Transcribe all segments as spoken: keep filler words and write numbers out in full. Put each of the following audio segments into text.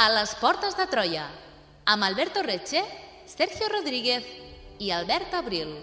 A les portes de Troia, amb Alberto Reche, Sergio Rodríguez i Albert Abril.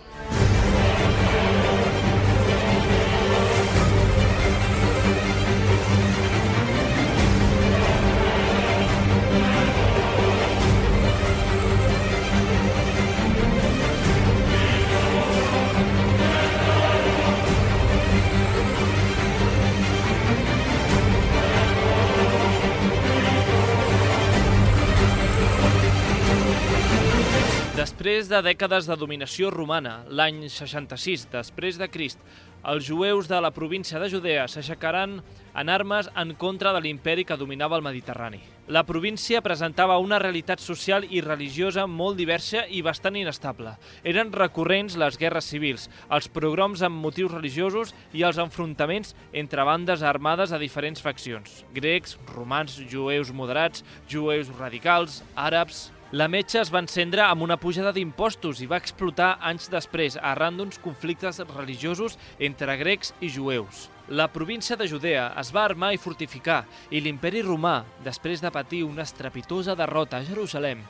Després de dècades de dominació romana, l'any seixanta-sis després de Crist, els jueus de la província de Judea s'aixecaran en armes en contra de l'imperi que dominava el Mediterrani. La província presentava una realitat social i religiosa molt diversa i bastant inestable. Eren recurrents les guerres civils, els pogroms amb motius religiosos i els enfrontaments entre bandes armades de diferents faccions: grecs, romans, jueus moderats, jueus radicals, àrabs. La metxa es va encendre amb una pujada d'impostos i va explotar anys després, arran d'uns conflictes religiosos entre grecs i jueus. La província de Judea es va armar i fortificar, i l'imperi romà, després de patir una estrepitosa derrota a Jerusalem,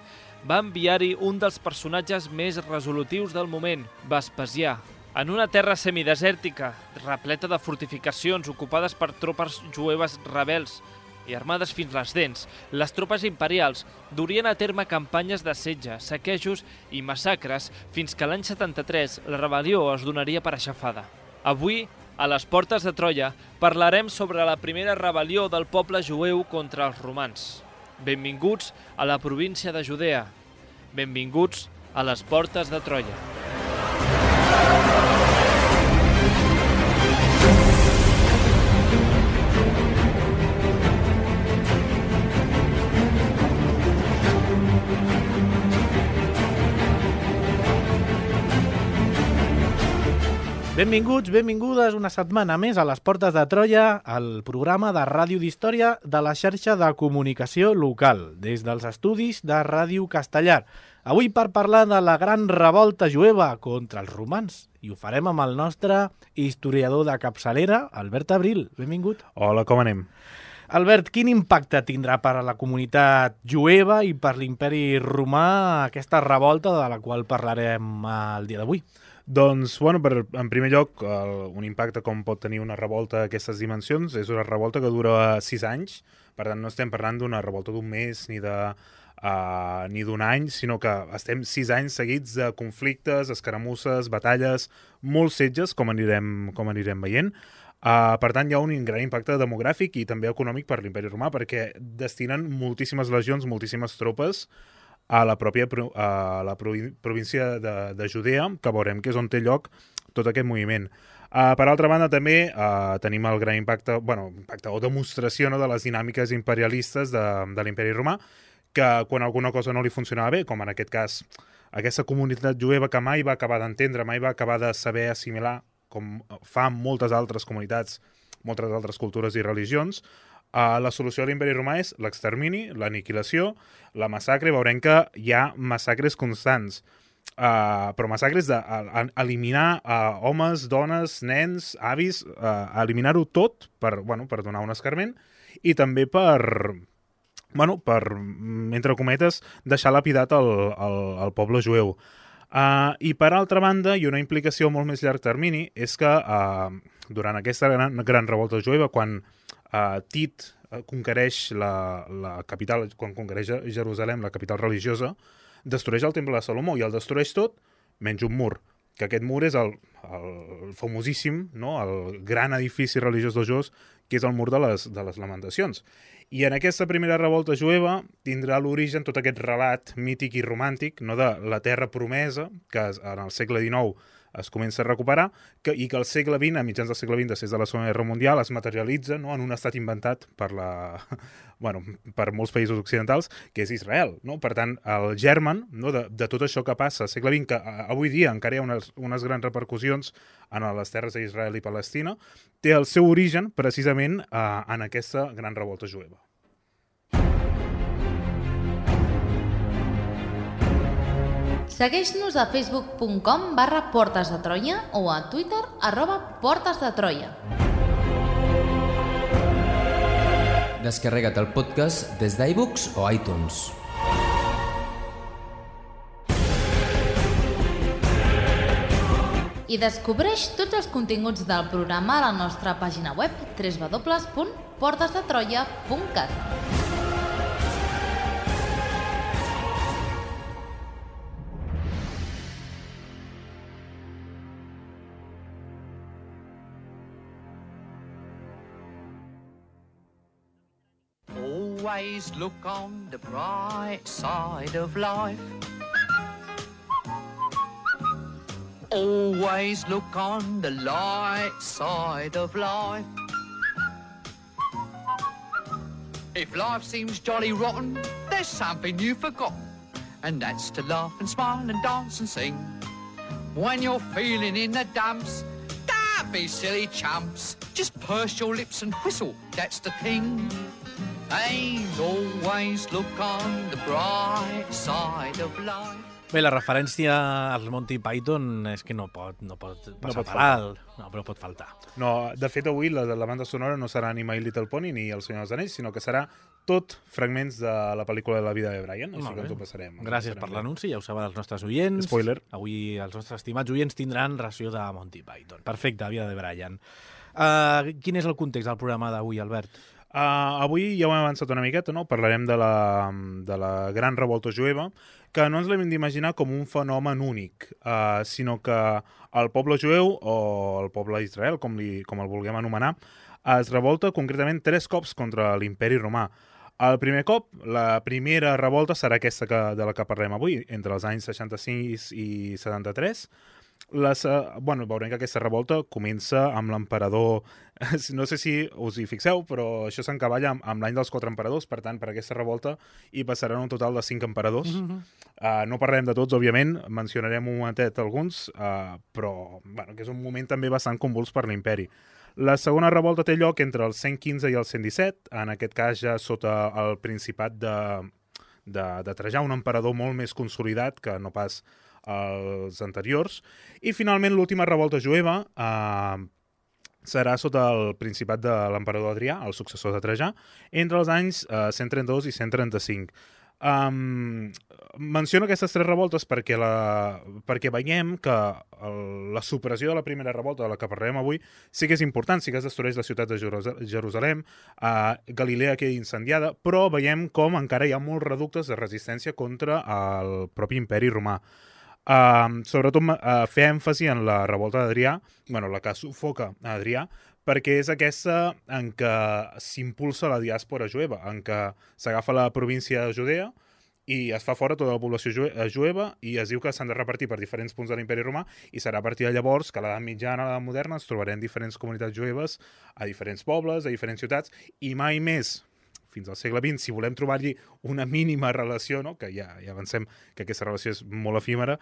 va enviar-hi un dels personatges més resolutius del moment, Vespasià. En una terra semidesèrtica, repleta de fortificacions ocupades per tropes jueves rebels i armades fins les dents, les tropes imperials durien a terme campanyes de setge, saquejos i massacres fins que l'any setanta-tres la rebel·lió es donaria per aixafada. Avui, a les portes de Troia, parlarem sobre la primera rebel·lió del poble jueu contra els romans. Benvinguts a la província de Judea. Benvinguts a les portes de Troia. Benvinguts, benvingudes una setmana més a les portes de Troia, el programa de ràdio d'història de la xarxa de comunicació local, des dels estudis de Ràdio Castellar. Avui per parlar de la gran revolta jueva contra els romans. I ho farem amb el nostre historiador de capçalera, Albert Abril. Benvingut. Hola, com anem? Albert, quin impacte tindrà per a la comunitat jueva i per l'imperi romà aquesta revolta de la qual parlarem el dia d'avui? Doncs, bueno, per, en primer lloc, el, un impacte com pot tenir una revolta d'aquestes dimensions és una revolta que dura sis anys, per tant no estem parlant d'una revolta d'un mes ni de uh, ni d'un any, sinó que estem sis anys seguits de conflictes, escaramusses, batalles, molts setges, com anirem, com anirem veient. Uh, per tant, hi ha un gran impacte demogràfic i també econòmic per l'imperi romà, perquè destinen moltíssimes legions, moltíssimes tropes a la pròpia a la província de, de Judea, que veurem que és on té lloc tot aquest moviment. Uh, per altra banda, també uh, tenim el gran impacte, bueno, impacte o demostració, no, de les dinàmiques imperialistes de, de l'imperi romà, que quan alguna cosa no li funcionava bé, com en aquest cas aquesta comunitat jueva que mai va acabar d'entendre, mai va acabar de saber assimilar, com fa moltes altres comunitats, moltes altres cultures i religions, Uh, la solució de l'imperi romà és l'extermini, l'aniquilació, la massacre. Veurem que hi ha massacres constants, uh, però massacres d'eliminar uh, homes, dones, nens, avis, uh, eliminar-ho tot per, bueno, per donar un escarment i també per, bueno, per, entre cometes, deixar lapidat el, el, el poble jueu. Uh, I per altra banda, i una implicació molt més llarg termini, és que uh, durant aquesta gran, gran revolta jueva, quan Uh, Tit uh, conquereix la, la capital, quan conquereix Jerusalem, la capital religiosa, destrueix el temple de Salomó i el destrueix tot, menys un mur, que aquest mur és el, el famosíssim, no? El gran edifici religiós dels jueus, que és el mur de les, de les lamentacions. I en aquesta primera revolta jueva tindrà l'origen tot aquest relat mític i romàntic, no, de la terra promesa, que en el segle dinou es comença a recuperar, que, i que al segle vint, a mitjans del segle vint, després de la Segona Guerra Mundial, es materialitza, no, en un estat inventat per, la, bueno, per molts països occidentals, que és Israel. No? Per tant, el germen, no, de, de tot això que passa al segle vint, que avui dia encara hi ha unes, unes grans repercussions en les terres d'Israel i Palestina, té el seu origen precisament eh, en aquesta gran revolta jueva. Segueix-nos a facebook punt com barra Portes de Troia o a Twitter arroba Portes de Troia. Descarrega't el podcast des d'iVoox o iTunes. I descobreix tots els continguts del programa a la nostra pàgina web w w w punt portes de troia punt cat. Always look on the bright side of life. Always look on the light side of life. If life seems jolly rotten, there's something you've forgotten, and that's to laugh and smile and dance and sing. When you're feeling in the dumps, don't be silly chumps. Just purse your lips and whistle, that's the thing. And always look on the bright side of life. Bé, la referència als Monty Python és que no pot, no pot passar pot per alt, no, però pot faltar. No, de fet, avui la, la banda sonora no serà ni My Little Pony ni El Senyor dels Anells, sinó que serà tot fragments de la pel·lícula de la vida de Brian, així que ens ho passarem. Gràcies per l'anunci, ja ho saben els nostres oients. Spoiler. Avui els nostres estimats oients tindran ració de Monty Python. Perfecte, vida de Brian. Uh, quin és el context del programa d'avui, Albert? Uh, avui ja ho hem avançat una miqueta, no? Parlarem de la, de la gran revolta jueva, que no ens l'hem d'imaginar com un fenomen únic, uh, sinó que el poble jueu, o el poble d'Israel, com, li, com el vulguem anomenar, es revolta concretament tres cops contra l'imperi romà. El primer cop, la primera revolta serà aquesta que, de la que parlem avui, entre els anys seixanta-sis i setanta-tres. Les, uh, bueno, veurem que aquesta revolta comença amb l'emperador, no sé si us hi fixeu, però això s'encavalla amb, amb l'any dels quatre emperadors, per tant, per aquesta revolta hi passaran un total de cinc emperadors. Mm-hmm. uh, no parlarem de tots, òbviament, mencionarem un momentet alguns, uh, però bueno, que és un moment també bastant convuls per l'imperi. La segona revolta té lloc entre el cent quinze i el cent disset, en aquest cas ja sota el principat de, de, de Trajà, un emperador molt més consolidat que no pas els anteriors, i finalment l'última revolta jueva eh, serà sota el principat de l'emperador Adrià, el successor de Trajà, entre els anys eh, cent trenta-dos i cent trenta-cinc. Um, menciono aquestes tres revoltes perquè, la, perquè veiem que el, la supressió de la primera revolta de la que parlarem avui sí que és important, sí que es destrueix la ciutat de Jerusalem, uh, Galilea queda incendiada, però veiem com encara hi ha molts reductes de resistència contra el propi imperi romà. Uh, sobretot uh, fer èmfasi en la revolta d'Adrià, bueno, la que sufoca a Adrià, perquè és aquesta en què s'impulsa la diàspora jueva, en què s'agafa la província de Judea i es fa fora tota la població jueva i es diu que s'han de repartir per diferents punts de l'imperi romà i serà a partir de llavors que a l'edat mitjana, a l'edat moderna, ens trobarem diferents comunitats jueves a diferents pobles, a diferents ciutats, i mai més fins al segle vint, si volem trobar-hi una mínima relació, no? Que ja, ja avancem que aquesta relació és molt efímera,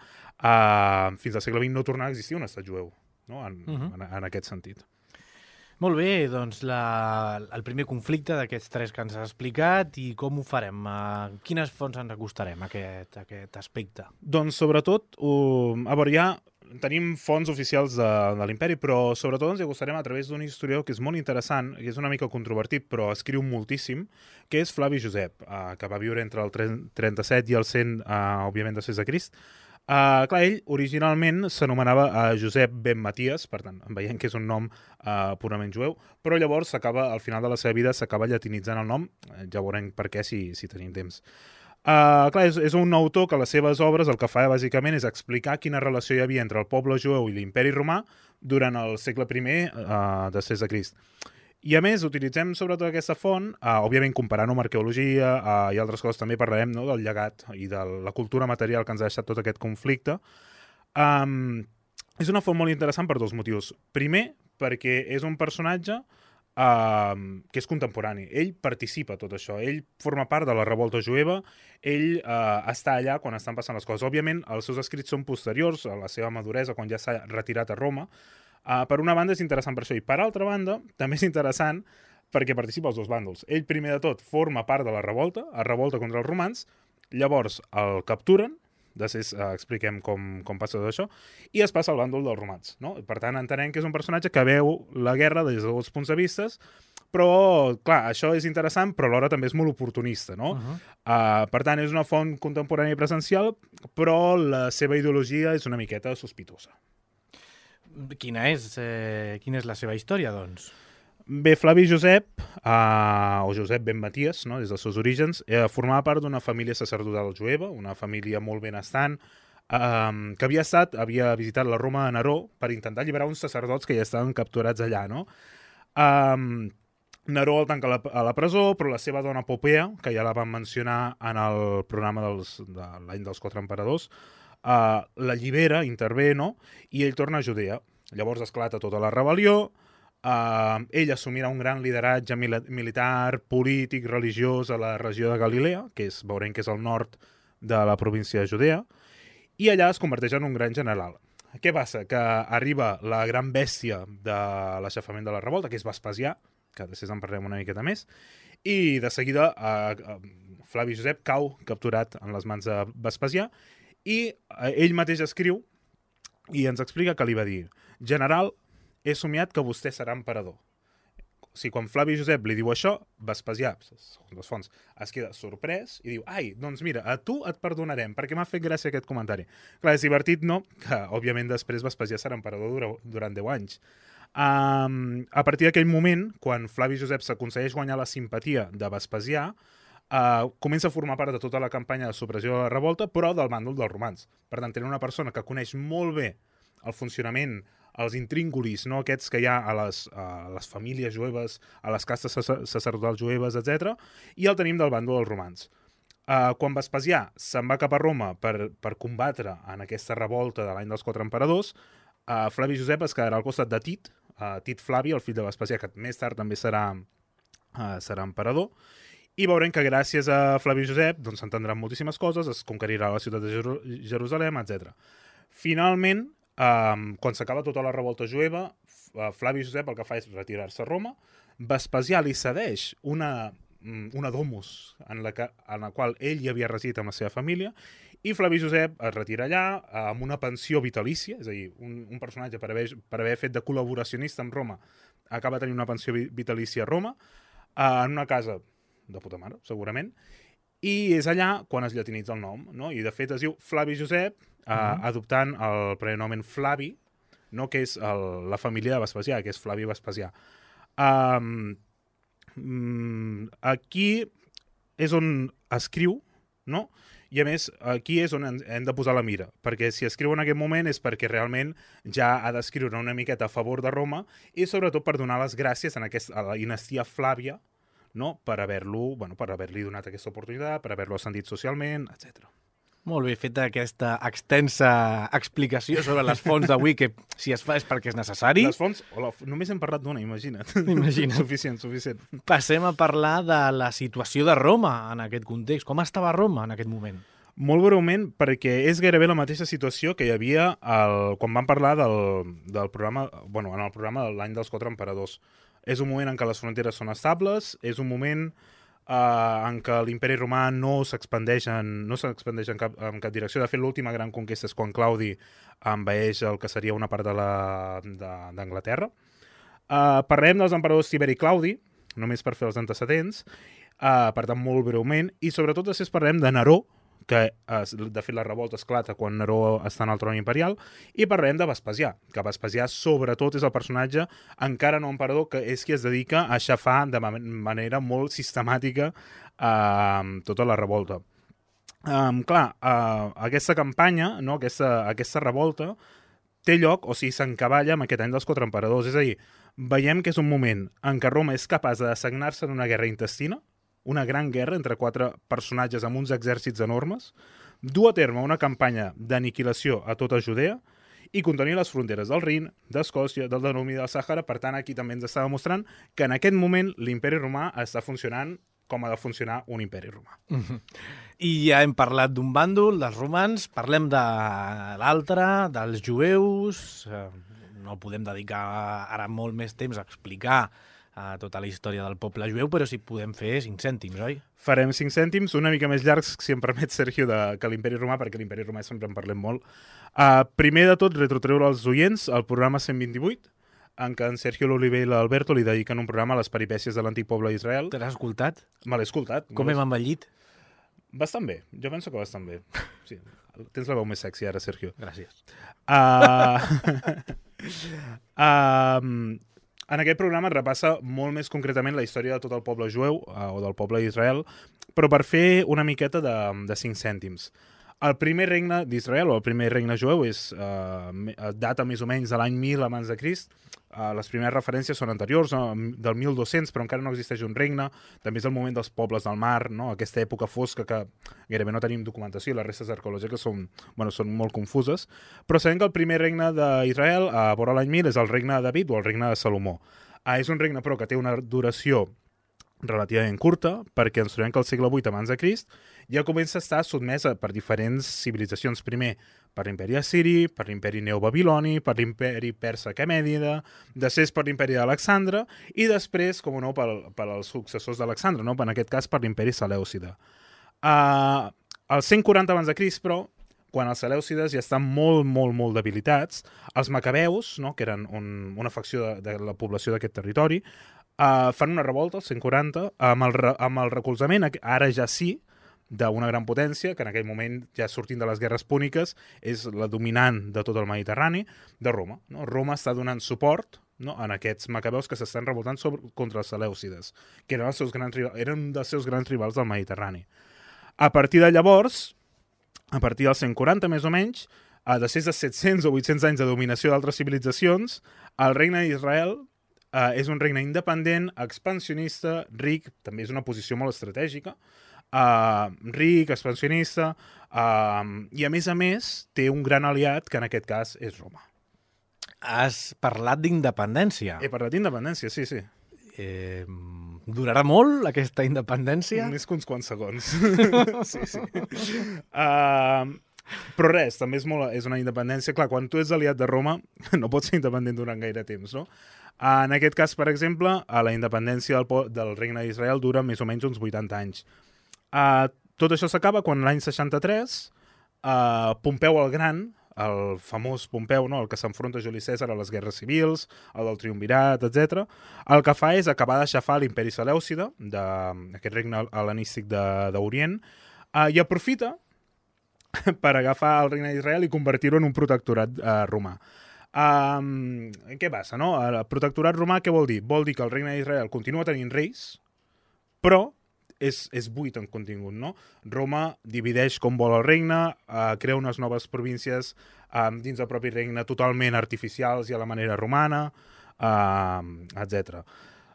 uh, fins al segle vint no tornarà a existir un estat jueu, no? en, uh-huh. en, en aquest sentit. Molt bé, doncs la, el primer conflicte d'aquests tres que ens has explicat, i com ho farem? A quines fonts ens acostarem a aquest, a aquest aspecte? Doncs sobretot, uh, a veure, ja tenim fonts oficials de, de l'imperi, però sobretot ens acostarem a través d'un historiador que és molt interessant, que és una mica controvertit, però escriu moltíssim, que és Flavi Josep, uh, que va viure entre el trenta-set i el cent, uh, òbviament, després de Crist. Uh, clar, ell originalment s'anomenava uh, Josep ben Maties, per tant, veiem que és un nom uh, purament jueu, però llavors s'acaba, al final de la seva vida s'acaba llatinitzant el nom, ja veurem per què si, si tenim temps. Uh, clar, és, és un autor que a les seves obres el que fa bàsicament és explicar quina relació hi havia entre el poble jueu i l'imperi romà durant el segle primer uh, després de Crist. I a més, utilitzem sobretot aquesta font, uh, òbviament comparant-ho amb arqueologia uh, i altres coses, també parlarem, no, del llegat i de la cultura material que ens ha deixat tot aquest conflicte. Um, és una font molt interessant per dos motius. Primer, perquè és un personatge uh, que és contemporani. Ell participa a tot això, ell forma part de la revolta jueva, ell uh, està allà quan estan passant les coses. Òbviament, els seus escrits són posteriors a la seva maduresa, quan ja s'ha retirat a Roma. Uh, per una banda és interessant per això, i per altra banda també és interessant perquè participa als dos bàndols. Ell primer de tot forma part de la revolta, es revolta contra els romans, llavors el capturen, després uh, expliquem com, com passa tot això, i es passa al bàndol dels romans. No? Per tant, entenem que és un personatge que veu la guerra des de dos punts de vista, però, clar, això és interessant, però alhora també és molt oportunista, no? Uh-huh. uh, per tant, és una font contemporània i presencial, però la seva ideologia és una miqueta sospitosa. Quina és, eh, quina és la seva història, doncs? Bé, Flavi Josep, uh, o Josep ben Maties, no? Des dels seus orígens, eh, formava part d'una família sacerdotal jueva, una família molt benestant, um, que havia estat, havia visitat la Roma de Neró per intentar alliberar uns sacerdots que ja estaven capturats allà, no? Um, Neró el tanca a la, a la presó, però la seva dona Popea, que ja la vam mencionar en el programa dels, de l'any dels quatre emperadors, uh, l'allibera, intervé, no? I ell torna a Judea. Llavors esclata tota la rebel·lió, uh, ell assumirà un gran lideratge mil militar, polític, religiós a la regió de Galilea, que és, veurem que és el nord de la província de Judea, i allà es converteix en un gran general. Què passa? Que arriba la gran bèstia de l'aixafament de la revolta, que és Vespasià, que després en parlem una miqueta més, i de seguida eh, Flavi Josep cau capturat en les mans de Vespasià, i eh, ell mateix escriu i ens explica que li va dir: general, he somiat que vostè serà emperador. O sigui, quan Flavi Josep li diu això, Vespasià, segons les fonts, es queda sorprès i diu: ai, doncs mira, a tu et perdonarem, perquè m'ha fet gràcia aquest comentari. Clar, és divertit, no? Que, òbviament, després Vespasià serà emperador durant deu anys. Um, a partir d'aquell moment, quan Flavi Josep s'aconsegueix guanyar la simpatia de Vespasià, uh, comença a formar part de tota la campanya de supressió de la revolta, però del bàndol dels romans. Per tant, tenir una persona que coneix molt bé el funcionament, els intríngulis, no, aquests que hi ha a les, a les famílies jueves, a les castes sacerdotals jueves, etcètera, i el tenim del bàndol dels romans. Uh, quan Vespasià se'n va cap a Roma per, per combatre en aquesta revolta de l'any dels quatre emperadors, uh, Flavi Josep es quedarà al costat de Tit, uh, Tit Flavi, el fill de Vespasià, que més tard també serà, uh, serà emperador, i veurem que gràcies a Flavi Josep doncs, s'entendran moltíssimes coses, es conquerirà la ciutat de Jeru Jerusalem, etcètera. Finalment, um, quan s'acaba tota la revolta jueva, uh, Flavi Josep el que fa és retirar-se a Roma, Vespasià li cedeix una, una domus en la, que, en la qual ell hi havia residit amb la seva família, i Flavi Josep es retira allà amb una pensió vitalícia, és a dir, un, un personatge per haver, per haver fet de col·laboracionista amb Roma acaba tenint una pensió vitalícia a Roma, uh, en una casa de puta mare, segurament, i és allà quan es llatinitza el nom, no? I de fet es diu Flavi Josep, uh, mm-hmm. adoptant el prenomen Flavi, no? Que és el, la família de Vespasià, que és Flavi Vespasià. Um, um, aquí és on escriu, no? I a més, aquí és on hem de posar la mira, perquè si escriu en aquest moment és perquè realment ja ha d'escriure una miqueta a favor de Roma i sobretot per donar les gràcies en aquest, a la dinastia Flàvia, no? Per haver-lo, bueno, per haver-li donat aquesta oportunitat, per haver-lo ascendit socialment, etcètera. Molt bé, feta aquesta extensa explicació sobre les fonts d'avui, que si es fa és perquè és necessari. Les fonts, hola, només hem parlat d'una, imagina't. Imagina't. Suficient, suficient. Passem a parlar de la situació de Roma en aquest context. Com estava Roma en aquest moment? Molt breument, perquè és gairebé la mateixa situació que hi havia el, quan vam parlar del, del programa, bueno, en el programa de l'any dels quatre emperadors. És un moment en què les fronteres són estables, és un moment Uh, en què l'imperi romà no s'expandeix en, no s'expandeix en, cap, en cap direcció. De fet, l'última gran conquesta és quan Claudi envaeix el que seria una part d'Anglaterra. Uh, parlem dels emperadors Tiberi i Claudi, només per fer els antecedents, uh, per tant, molt breument, i sobretot després parlem de Neró, que uh, de fet la revolta esclata quan Neró està en el tron imperial, i parlem de Vespasià, que Vespasià sobretot és el personatge, encara no emperador, que és qui es dedica a aixafar de manera molt sistemàtica uh, tota la revolta. Um, clar, uh, aquesta campanya, no, aquesta, aquesta revolta, té lloc, o sigui, s'encavalla amb aquest any dels quatre emperadors, és a dir, veiem que és un moment en què Roma és capaç de sagnar-se en una guerra intestina, una gran guerra entre quatre personatges amb uns exèrcits enormes, dur a terme una campanya d'aniquilació a tota Judea i contenir les fronteres del Rin, d'Escòcia, del Danubi i del Sàhara. Per tant, aquí també ens està demostrant que en aquest moment l'imperi romà està funcionant com ha de funcionar un imperi romà. Mm-hmm. I ja hem parlat d'un bàndol, dels romans, parlem de l'altre, dels jueus. No podem dedicar ara molt més temps a explicar a tota la història del poble jueu, però si podem fer cinc cèntims, oi? Farem cinc cèntims, una mica més llargs, si em permet, Sergio, de, que l'Imperi Romà, perquè l'Imperi Romà sempre en parlem molt. Uh, primer de tot, retrotreure als oients el programa cent vint-i-vuit, en què en Sergio l'Oliver i l'Alberto li dediquen un programa a les peripècies de l'antic poble d'Israel. Te l'has escoltat? Me l'he escoltat. Com hem envellit? Bastant bé, jo penso que bastant bé. Sí. Tens la veu més sexy ara, Sergio. Gràcies. Uh... uh... En aquest programa es repassa molt més concretament la història de tot el poble jueu, uh, o del poble d'Israel, però per fer una miqueta de, de cinc cèntims. El primer regne d'Israel, o el primer regne jueu, és, uh, data més o menys de l'any mil abans de Crist. Uh, les primeres referències són anteriors, no? Del mil dos-cents, però encara no existeix un regne. També és el moment dels pobles del mar, no? Aquesta època fosca que gairebé no tenim documentació i les restes arqueològiques són, bueno, són molt confuses. Però sabem que el primer regne d'Israel, a vora l'any mil, és el regne de David o el regne de Salomó. Uh, és un regne, però, que té una duració relativament curta, perquè ens trobem que al segle vuit abans de Crist ja comença a estar sotmesa per diferents civilitzacions. Primer per l'imperi assiri, per l'imperi neobabiloni, per l'imperi persa aquemènida, després per l'imperi d'Alexandre i després, com no, per, per als successors d'Alexandre, no? En aquest cas per l'imperi selèucida. Uh, al cent quaranta abans de Crist, però, quan els selèucides ja estan molt, molt, molt debilitats, els macabeus, no? Que eren un, una facció de, de la població d'aquest territori, uh, fan una revolta, al cent quaranta, amb el, amb el recolzament, ara ja sí, d'una gran potència, que en aquell moment, ja sortint de les guerres púniques, és la dominant de tot el Mediterrani, de Roma. No? Roma està donant suport, no? En aquests macabeus que s'estan revoltant sobre, contra els selèucides, que eren, els seus grans, eren un dels seus grans rivals del Mediterrani. A partir de llavors, a partir del cent quaranta més o menys, a després de set-cents o vuit-cents anys de dominació d'altres civilitzacions, el regne d'Israel eh, és un regne independent, expansionista, ric, també és una posició molt estratègica, Uh, ric, expansionista, uh, i a més a més té un gran aliat, que en aquest cas és Roma. Has parlat d'independència. He parlat d'independència, sí, sí. Eh, durarà molt aquesta independència? Més que uns quants segons. Sí, sí. Uh, però res, també és, molt, és una independència. Clar, quan tu ets aliat de Roma, no pots ser independent durant gaire temps, no? Uh, en aquest cas, per exemple, a la independència del, del regne d'Israel dura més o menys uns vuitanta anys. Uh, tot això s'acaba quan l'any seixanta-tres uh, Pompeu el Gran, el famós Pompeu, no? El que s'enfronta a Juli Cèsar a les guerres civils, el del triumvirat, etcètera, el que fa és acabar d'aixafar l'imperi selèucida, d'aquest regne hel·lenístic d'Orient, uh, i aprofita per agafar el regne d'Israel i convertir-ho en un protectorat uh, romà. Um, què passa, no? El protectorat romà què vol dir? Vol dir que el regne d'Israel continua tenint reis, però És, és buit en contingut, no? Roma divideix com vol el regne, eh, crea unes noves províncies eh, dins del propi regne totalment artificials i a la manera romana, eh, etcètera.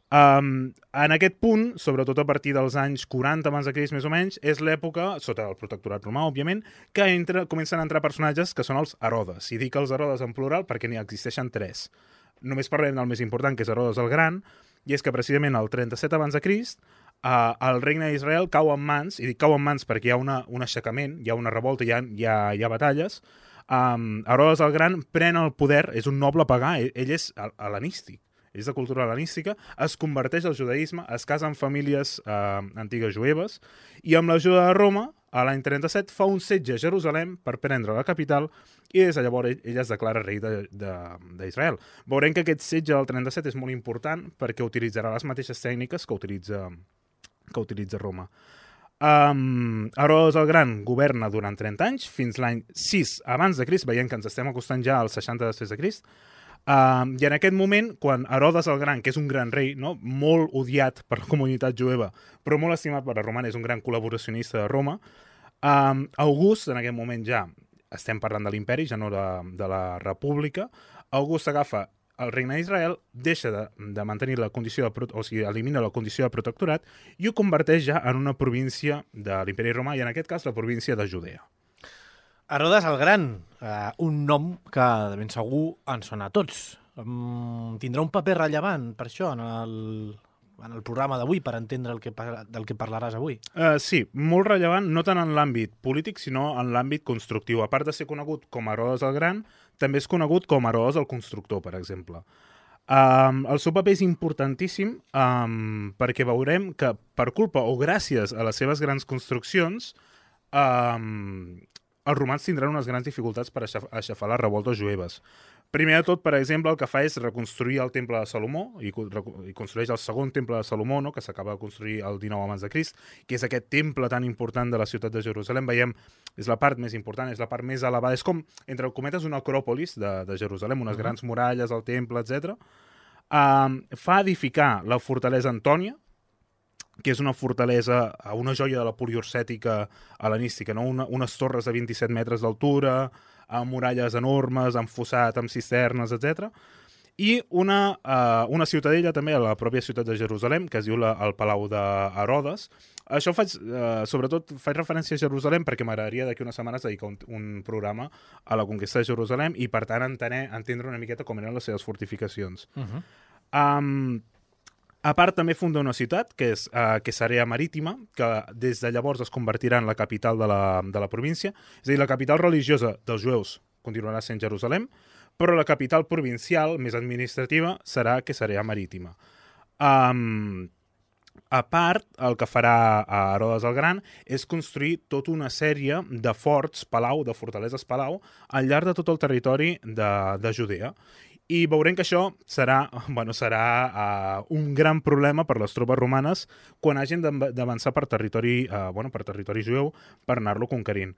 Um, en aquest punt, sobretot a partir dels anys quaranta abans de Crist més o menys, és l'època, sota el protectorat romà, òbviament, que entra, comencen a entrar personatges que són els Herodes. I dic els Herodes en plural perquè n'hi existeixen tres. Només parlem del més important, que és Herodes el Gran, i és que precisament el trenta-set abans de Crist Uh, el regne d'Israel cau en mans, i dic cau en mans perquè hi ha una, un aixecament, hi ha una revolta, hi ha, hi ha, hi ha batalles. Um, Herodes el Gran pren el poder, és un noble pagà, ell, ell és hel·lenístic, és de cultura hel·lenística, es converteix al judaïsme, es casa amb famílies uh, antigues jueves, i amb l'ajuda de Roma, a l'any trenta-set, fa un setge a Jerusalem per prendre la capital, i des de llavors ell, ell es declara rei d'Israel. Veurem que aquest setge del trenta-set és molt important perquè utilitzarà les mateixes tècniques que utilitza que utilitza Roma. Um, Herodes el Gran governa durant trenta anys, fins l'any sis abans de Crist, veient que ens estem acostant ja als seixanta després de Crist, um, i en aquest moment, quan Herodes el Gran, que és un gran rei, no? Molt odiat per la comunitat jueva, però molt estimat per la romana, és un gran col·laboracionista de Roma, um, August, en aquest moment ja, estem parlant de l'imperi, ja no de, de la república, August agafa el regne d'Israel, deixa de, de mantenir la condició de, o sigui, elimina la condició de protectorat i ho converteix ja en una província de l'imperi romà, i en aquest cas la província de Judea. Herodes el Gran, eh, un nom que de ben segur ens sona a tots. Um, tindrà un paper rellevant per això en el, en el programa d'avui, per entendre el que, del que parlaràs avui. Uh, sí, molt rellevant, no tant en l'àmbit polític, sinó en l'àmbit constructiu. A part de ser conegut com a Herodes el Gran, també és conegut com a Herodes el Constructor, per exemple. Um, el seu paper és importantíssim um, perquè veurem que per culpa o gràcies a les seves grans construccions um, els romans tindran unes grans dificultats per aixaf aixafar les revoltes jueves. Primer de tot, per exemple, el que fa és reconstruir el temple de Salomó i, i construeix el segon temple de Salomó, no?, que s'acaba de construir el dinou abans de Crist, que és aquest temple tan important de la ciutat de Jerusalem. Veiem, és la part més important, és la part més elevada, és com, entre cometes, una acròpolis de, de Jerusalem, unes uh-huh. grans muralles, el temple, etcètera. Um, fa edificar la fortalesa Antònia, que és una fortalesa, una joia de la poliorcètica hel·lenística, no? una, unes torres de vint-i-set metres d'altura, amb muralles enormes, amb fossat, amb cisternes, etcètera. I una, uh, una ciutadella també a la pròpia ciutat de Jerusalem, que es diu la, el Palau d'Herodes. Això faig, uh, sobretot, faig referència a Jerusalem perquè m'agradaria d'aquí unes setmanes dedicar un, un programa a la conquesta de Jerusalem i, per tant, entendre, entendre una miqueta com eren les seves fortificacions. Uh-huh. um, A part, també funda una ciutat, que és uh, Cesarea Marítima, que des de llavors es convertirà en la capital de la, de la província. És a dir, la capital religiosa dels jueus continuarà sent Jerusalem, però la capital provincial, més administrativa, serà Cesarea Marítima. Um, a part, el que farà a Herodes el Gran és construir tota una sèrie de forts, palau, de fortaleses palau, al llarg de tot el territori de, de Judea. I veurem que això serà, bueno, serà uh, un gran problema per les tropes romanes quan hagin d'avançar per territori, uh, bueno, per territori jueu per anar-lo conquerint.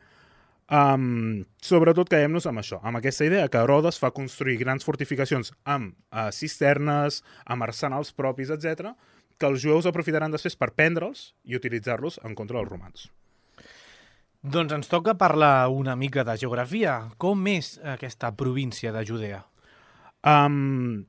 Um, sobretot quedem-nos amb això, amb aquesta idea que Herodes fa construir grans fortificacions amb uh, cisternes, amb arsenals propis, etcètera, que els jueus aprofitaran després per prendre'ls i utilitzar-los en contra dels romans. Doncs ens toca parlar una mica de geografia. Com és aquesta província de Judea? Um,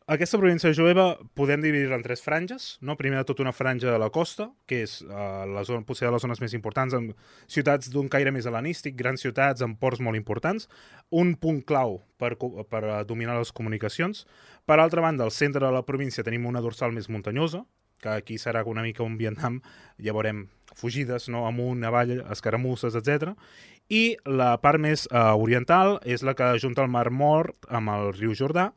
aquesta província jueva podem dividir-la en tres franges, no? Primer de tot una franja de la costa, que és uh, la zona, potser de les zones més importants, amb ciutats d'un caire més hel·lenístic, grans ciutats amb ports molt importants, un punt clau per, per dominar les comunicacions. Per altra banda, al centre de la província tenim una dorsal més muntanyosa, que aquí serà una mica un Vietnam, ja veurem fugides, no? Amunt, avall, escaramusses, etcètera. I la part més uh, oriental és la que junta el Mar Mort amb el riu Jordà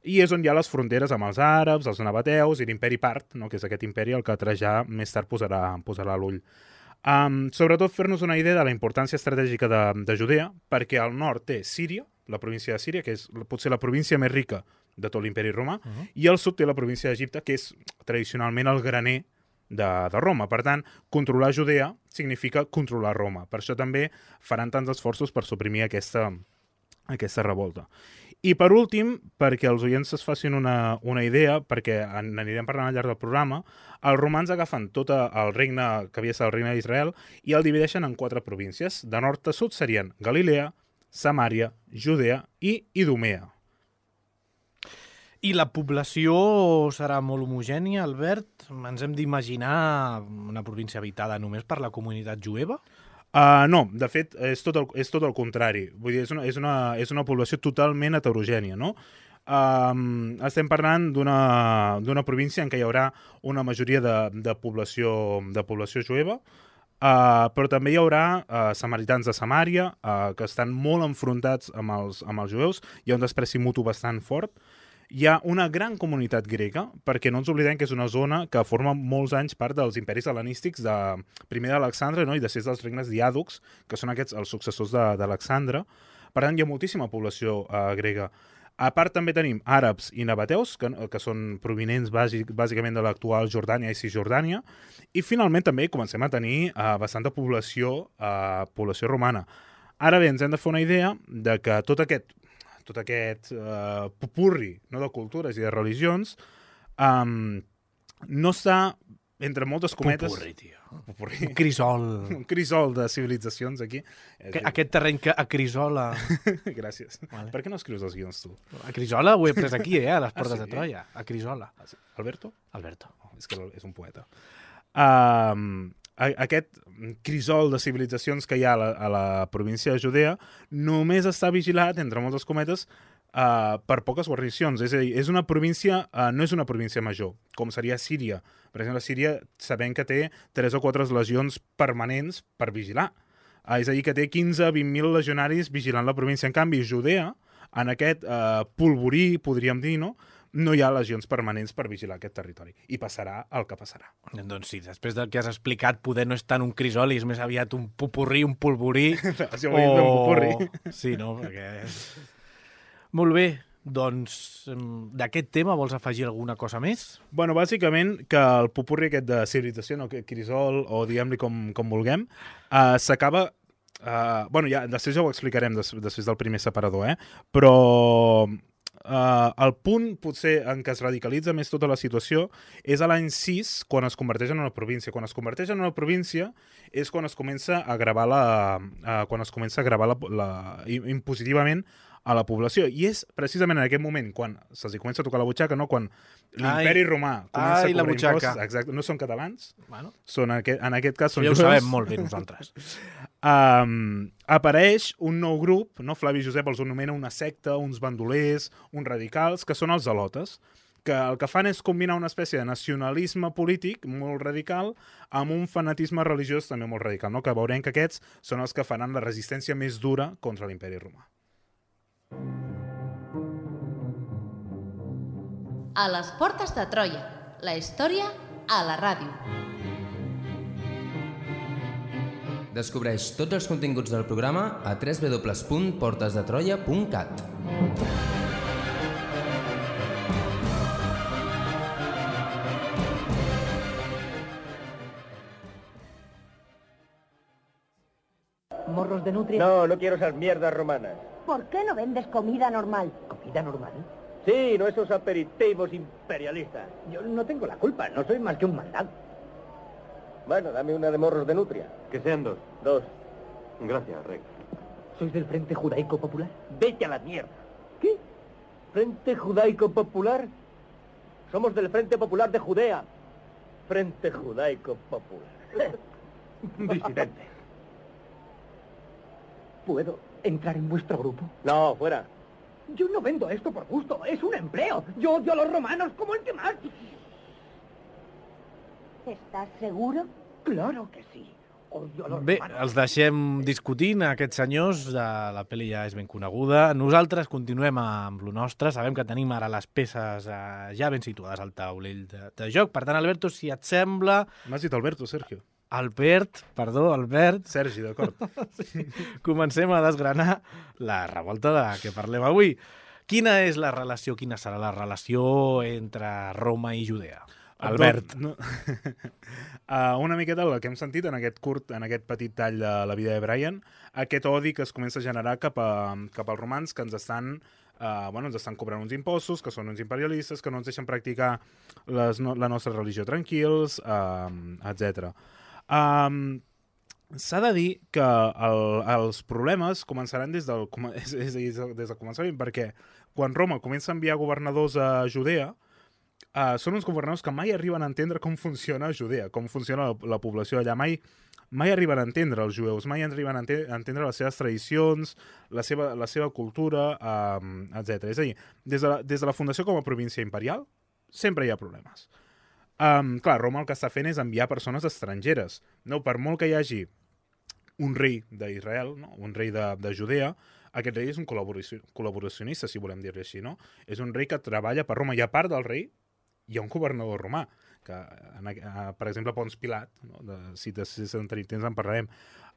i és on hi ha les fronteres amb els àrabs, els nabateus i l'imperi part, no? Que és aquest imperi al que Trajà més tard posarà, posarà l'ull. Um, sobretot fer-nos una idea de la importància estratègica de, de Judea, perquè al nord té Síria, la província de Síria, que és potser la província més rica de tot l'imperi romà, uh-huh. i al sud té la província d'Egipte, que és tradicionalment el graner de, de Roma. Per tant, controlar Judea significa controlar Roma. Per això també faran tants esforços per suprimir aquesta, aquesta revolta. I per últim, perquè els oients es facin una, una idea, perquè en anirem parlant al llarg del programa, els romans agafen tot el regne que havia estat el regne d'Israel i el divideixen en quatre províncies. De nord a sud serien Galilea, Samària, Judea i Idumea. I la població serà molt homogènia, Albert? Ens hem d'imaginar una província habitada només per la comunitat jueva? Uh, no, de fet, és tot el, és tot el contrari. Vull dir, és una, és una, és una població totalment heterogènia, no? Um, estem parlant d'una d'una província en què hi haurà una majoria de, de, població, de població jueva, uh, però també hi haurà uh, samaritans de Samària, uh, que estan molt enfrontats amb els, amb els jueus, hi ha un despreci mutu bastant fort. Hi ha una gran comunitat grega, perquè no ens oblidem que és una zona que forma molts anys part dels imperis hel·lenístics, de, primer d'Alexandre, no? I després dels regnes diàdocs, que són aquests els successors d'Alexandre. Per tant, hi ha moltíssima població uh, grega. A part, també tenim àrabs i nabateus, que, que són provinents bàsic, bàsicament de l'actual Jordània i Cisjordània. I finalment també comencem a tenir uh, bastanta població, uh, població romana. Ara bé, ens hem de fer una idea de que tot aquest tot aquest uh, popurri, no, de cultures i de religions, um, no està, entre moltes cometes... Popurri, tio. Popurri. Un crisol. Un crisol de civilitzacions, aquí. Aquest, aquest terreny que acrisola... Gràcies. Vale. Per què no escrius els guions, tu? Acrisola ho he pres aquí, eh, a les portes ah, sí? de Troia. Acrisola. Ah, sí. Alberto? Alberto. Oh, és que és un poeta. Um, aquest crisol de civilitzacions que hi ha a la, a la província de Judea només està vigilat, entre moltes cometes, uh, per poques guarnicions. És a dir, és una província, uh, no és una província major, com seria Síria. Per exemple, Síria sabem que té tres o quatre legions permanents per vigilar. Uh, és a dir, que té quinze a vint mil legionaris vigilant la província. En canvi, Judea, en aquest uh, polvorí, podríem dir, no?, no hi ha legions permanents per vigilar aquest territori. I passarà el que passarà. Doncs sí, després del que has explicat, poder no és tant un crisol i és més aviat un popurrí, un polvorí. Si ho veiem o... un popurrí. Sí, no? Perquè... Molt bé. Doncs, d'aquest tema vols afegir alguna cosa més? Bueno, bàsicament que el popurri aquest de civilització, no, crisol, o diguem-li com, com vulguem, uh, s'acaba... Uh, bueno, ja, després ja ho explicarem des, després del primer separador, eh? Però uh, el punt, potser, en què es radicalitza més tota la situació és a l'any sis, quan es converteix en una província. Quan es converteix en una província és quan es comença a gravar la... Uh, quan es comença a gravar la, la, impositivament a la població. I és precisament en aquest moment quan se'ls comença a tocar la butxaca, no? Quan l'imperi romà comença ai, a cobrar impostos. Exacte. No són catalans, bueno. són en, aquest, en aquest cas són ja jueus. Ho sabem molt bé nosaltres. um, apareix un nou grup, no? Flavi Josep els anomena una secta, uns bandolers, uns radicals, que són els zelotes, que el que fan és combinar una espècie de nacionalisme polític molt radical amb un fanatisme religiós també molt radical, no? Que veurem que aquests són els que faran la resistència més dura contra l'imperi romà. A les portes de Troia, la història a la ràdio. Descobreix tots els continguts del programa a w w w punt portes de troia punt cat. ¿Morros de nutria? No, no quiero esas mierdas romanas. ¿Por qué no vendes comida normal? ¿Comida normal? Sí, no esos aperitivos imperialistas. Yo no tengo la culpa, no soy más que un mandado. Bueno, dame una de morros de nutria. Que sean dos. Dos. Gracias, Rex. ¿Sois del Frente Judaico Popular? Vete a la mierda. ¿Qué? ¿Frente Judaico Popular? Somos del Frente Popular de Judea. Frente Judaico Popular. Disidente. ¿Puedo entrar en vuestro grupo? No, fuera. Yo no vendo esto por gusto, es un empleo. Yo odio a los romanos como el que más. ¿Estàs seguro? Claro que sí. Odio a los Bé, romanos. els deixem discutint, aquests senyors, de la pel·li ja és ben coneguda. Nosaltres continuem amb lo nostre, sabem que tenim ara les peces eh, ja ben situades al taulell de, de joc. Per tant, Alberto, si et sembla... M'has dit Alberto, Sergio. Albert, perdó, Albert. Sergi, d'acord. Sí. Comencem a desgranar la revolta de què parlem avui. Quina és la relació, quina serà la relació entre Roma i Judea? Albert. No, uh, una miqueta el que hem sentit en aquest curt, en aquest petit tall de la vida de Brian, aquest odi que es comença a generar cap, a, cap als romans que ens estan, uh, bueno, ens estan cobrant uns impostos, que són uns imperialistes, que no ens deixen practicar les, no, la nostra religió tranquils, uh, etcètera. Um, S'ha de dir que el, els problemes començaran des del, és, és, és, des del començament, perquè quan Roma comença a enviar governadors a Judea, Uh, són uns governadors que mai arriben a entendre com funciona Judea, com funciona la, la població allà. Mai, mai arriben a entendre els jueus, mai arriben a, ente a entendre les seves tradicions, la seva, la seva cultura, um, etcètera. És a dir, des de, la, des de la fundació com a província imperial, sempre hi ha problemes. Um, clar, Roma el que està fent és enviar persones estrangeres. No, per molt que hi hagi un rei d'Israel, no? Un rei de, de Judea, aquest rei és un col·laboracionista, si volem dir-li així, no? És un rei que treballa per Roma, i a part del rei hi ha un governador romà, que, en, uh, per exemple, Pons Pilat, no? de, si de si en tenim temps en parlarem,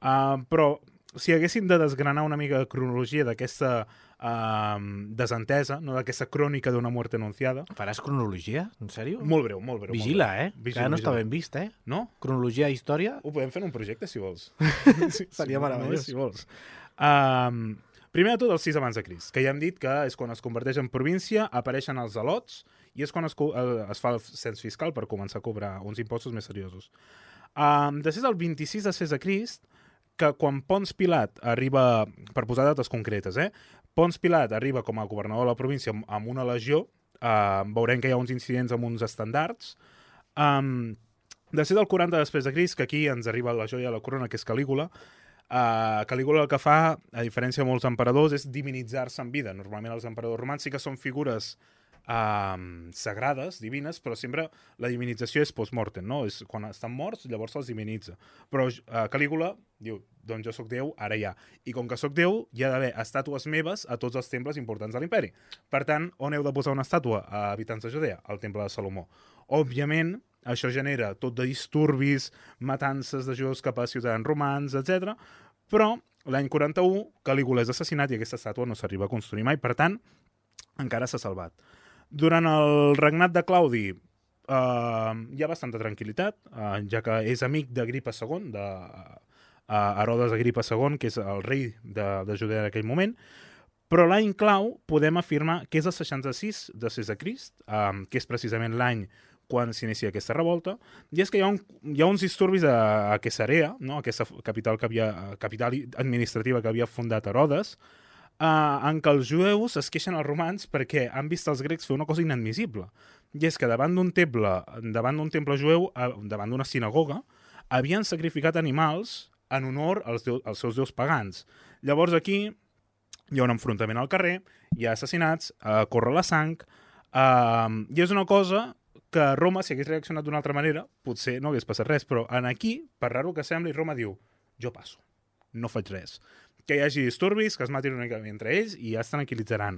uh, però si haguéssim de desgranar una mica de cronologia d'aquesta uh, desentesa, no? D'aquesta crònica d'una mort anunciada... Faràs cronologia? En sèrio? Molt breu, molt breu. Vigila, molt breu. eh? Vigila, que no vigila. està ben vist, eh? No? Cronologia i història? Ho podem fer en un projecte, si vols. sí, Seria sí, meravellós. Si vols. Um, primer de tot, el sis abans de Crist, que ja hem dit que és quan es converteix en província, apareixen els zelots, i és quan es, es fa el cens fiscal per començar a cobrar uns impostos més seriosos. Um, després del vint-i-sis després de Crist, que quan Pons Pilat arriba, per posar dates concretes, eh? Pons Pilat arriba com a governador de la província amb, amb una legió, uh, veurem que hi ha uns incidents amb uns estandards. Um, després del quaranta després de Crist, que aquí ens arriba la joia de la corona, que és Calígula, Uh, Calígula el que fa, a diferència de molts emperadors, és divinitzar-se en vida. Normalment els emperadors romans sí que són figures Uh, sagrades, divines, però sempre la divinització és post-mortem, no? És quan estan morts, llavors se'ls divinitza. Però uh, Calígula diu, doncs jo sóc Déu, ara ja. I com que sóc Déu, hi ha d'haver estàtues meves a tots els temples importants de l'imperi. Per tant, on heu de posar una estàtua a habitants de Judea? Al temple de Salomó. Òbviament, això genera tot de disturbis, matances de jueus cap a ciutadans romans, etcètera. Però l'any quaranta-u, Calígula és assassinat i aquesta estàtua no s'arriba a construir mai, per tant, encara s'ha salvat. Durant el regnat de Claudi eh, hi ha bastanta tranquil·litat, eh, ja que és amic d'Agripa segon, de eh, Herodes Agripa segon, que és el rei de, de Judea en aquell moment, però l'any clau podem afirmar que és el seixanta-sis després de Crist, eh, que és precisament l'any quan s'inicia aquesta revolta, i és que hi ha, un, hi ha uns disturbis a, a Cesarea, no? Aquesta capital, que havia, capital administrativa que havia fundat Herodes, Uh, en què els jueus es queixen als romans perquè han vist els grecs fer una cosa inadmissible. I és que davant d'un temple, davant d'un temple jueu, uh, davant d'una sinagoga, havien sacrificat animals en honor als, deus, als seus déus pagans. Llavors aquí hi ha un enfrontament al carrer, hi ha assassinats, uh, corre la sang, uh, i és una cosa que Roma, si hagués reaccionat d'una altra manera, potser no hagués passat res, però en aquí, per raro que sembli, Roma diu, jo passo, no faig res. Que hi hagi disturbis, que es matin una mica entre ells i ja es tranquil·litzaran.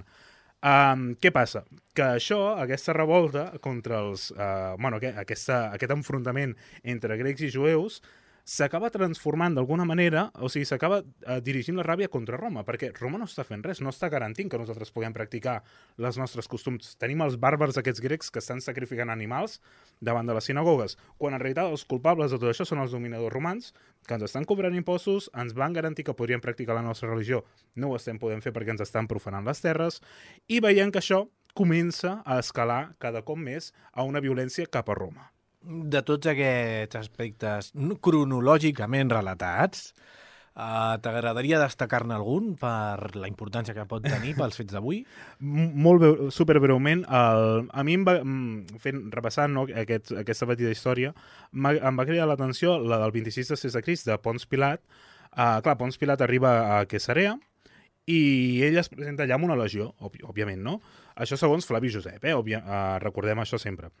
Um, què passa? Que això, aquesta revolta contra els... Uh, bueno, aquesta, aquest enfrontament entre grecs i jueus s'acaba transformant d'alguna manera, o sigui, s'acaba uh, dirigint la ràbia contra Roma, perquè Roma no està fent res, no està garantint que nosaltres puguem practicar les nostres costums. Tenim els bàrbars aquests grecs que estan sacrificant animals davant de les sinagogues, quan en realitat els culpables de tot això són els dominadors romans, que ens estan cobrant impostos, ens van garantir que podríem practicar la nostra religió, no ho estem podent fer perquè ens estan profanant les terres, i veiem que això comença a escalar cada cop més a una violència cap a Roma. De tots aquests aspectes cronològicament relatats, uh, t'agradaria destacar-ne algun per la importància que pot tenir pels fets d'avui? Molt breu, superbreument, el, a mi em va, fent, repassant no, aquest, aquesta petita història, em va cridar l'atenció la del vint-i-sis després de Crist de Pons Pilat. Uh, clar, Pons Pilat arriba a Cesarea i ell es presenta allà amb una legió, òbvi, òbviament, no? Això segons Flavi Josep, eh? Òbvia, uh, recordem això sempre.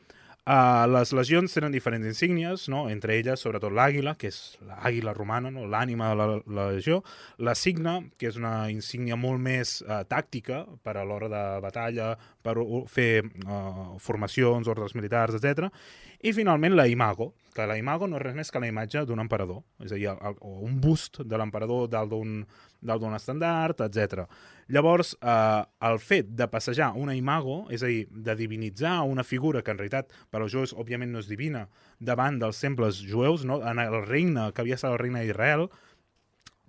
Uh, les legions tenen diferents insígnies, no? Entre elles, sobretot l'àguila, que és l'àguila romana, no? L'ànima de la, la legió, la signa, que és una insígnia molt més uh, tàctica per a l'hora de batalla, per uh, fer uh, formacions, ordres militars, etcètera. I finalment la imago, que la imago no és res més que la imatge d'un emperador, és a dir, el, el, o un bust de l'emperador dalt d'un dalt d'un estandard, etcètera. Llavors, eh, el fet de passejar una imago, és a dir, de divinitzar una figura que en realitat per als jueus òbviament no és divina, davant dels temples jueus, no? En el regne que havia estat el regne d'Israel,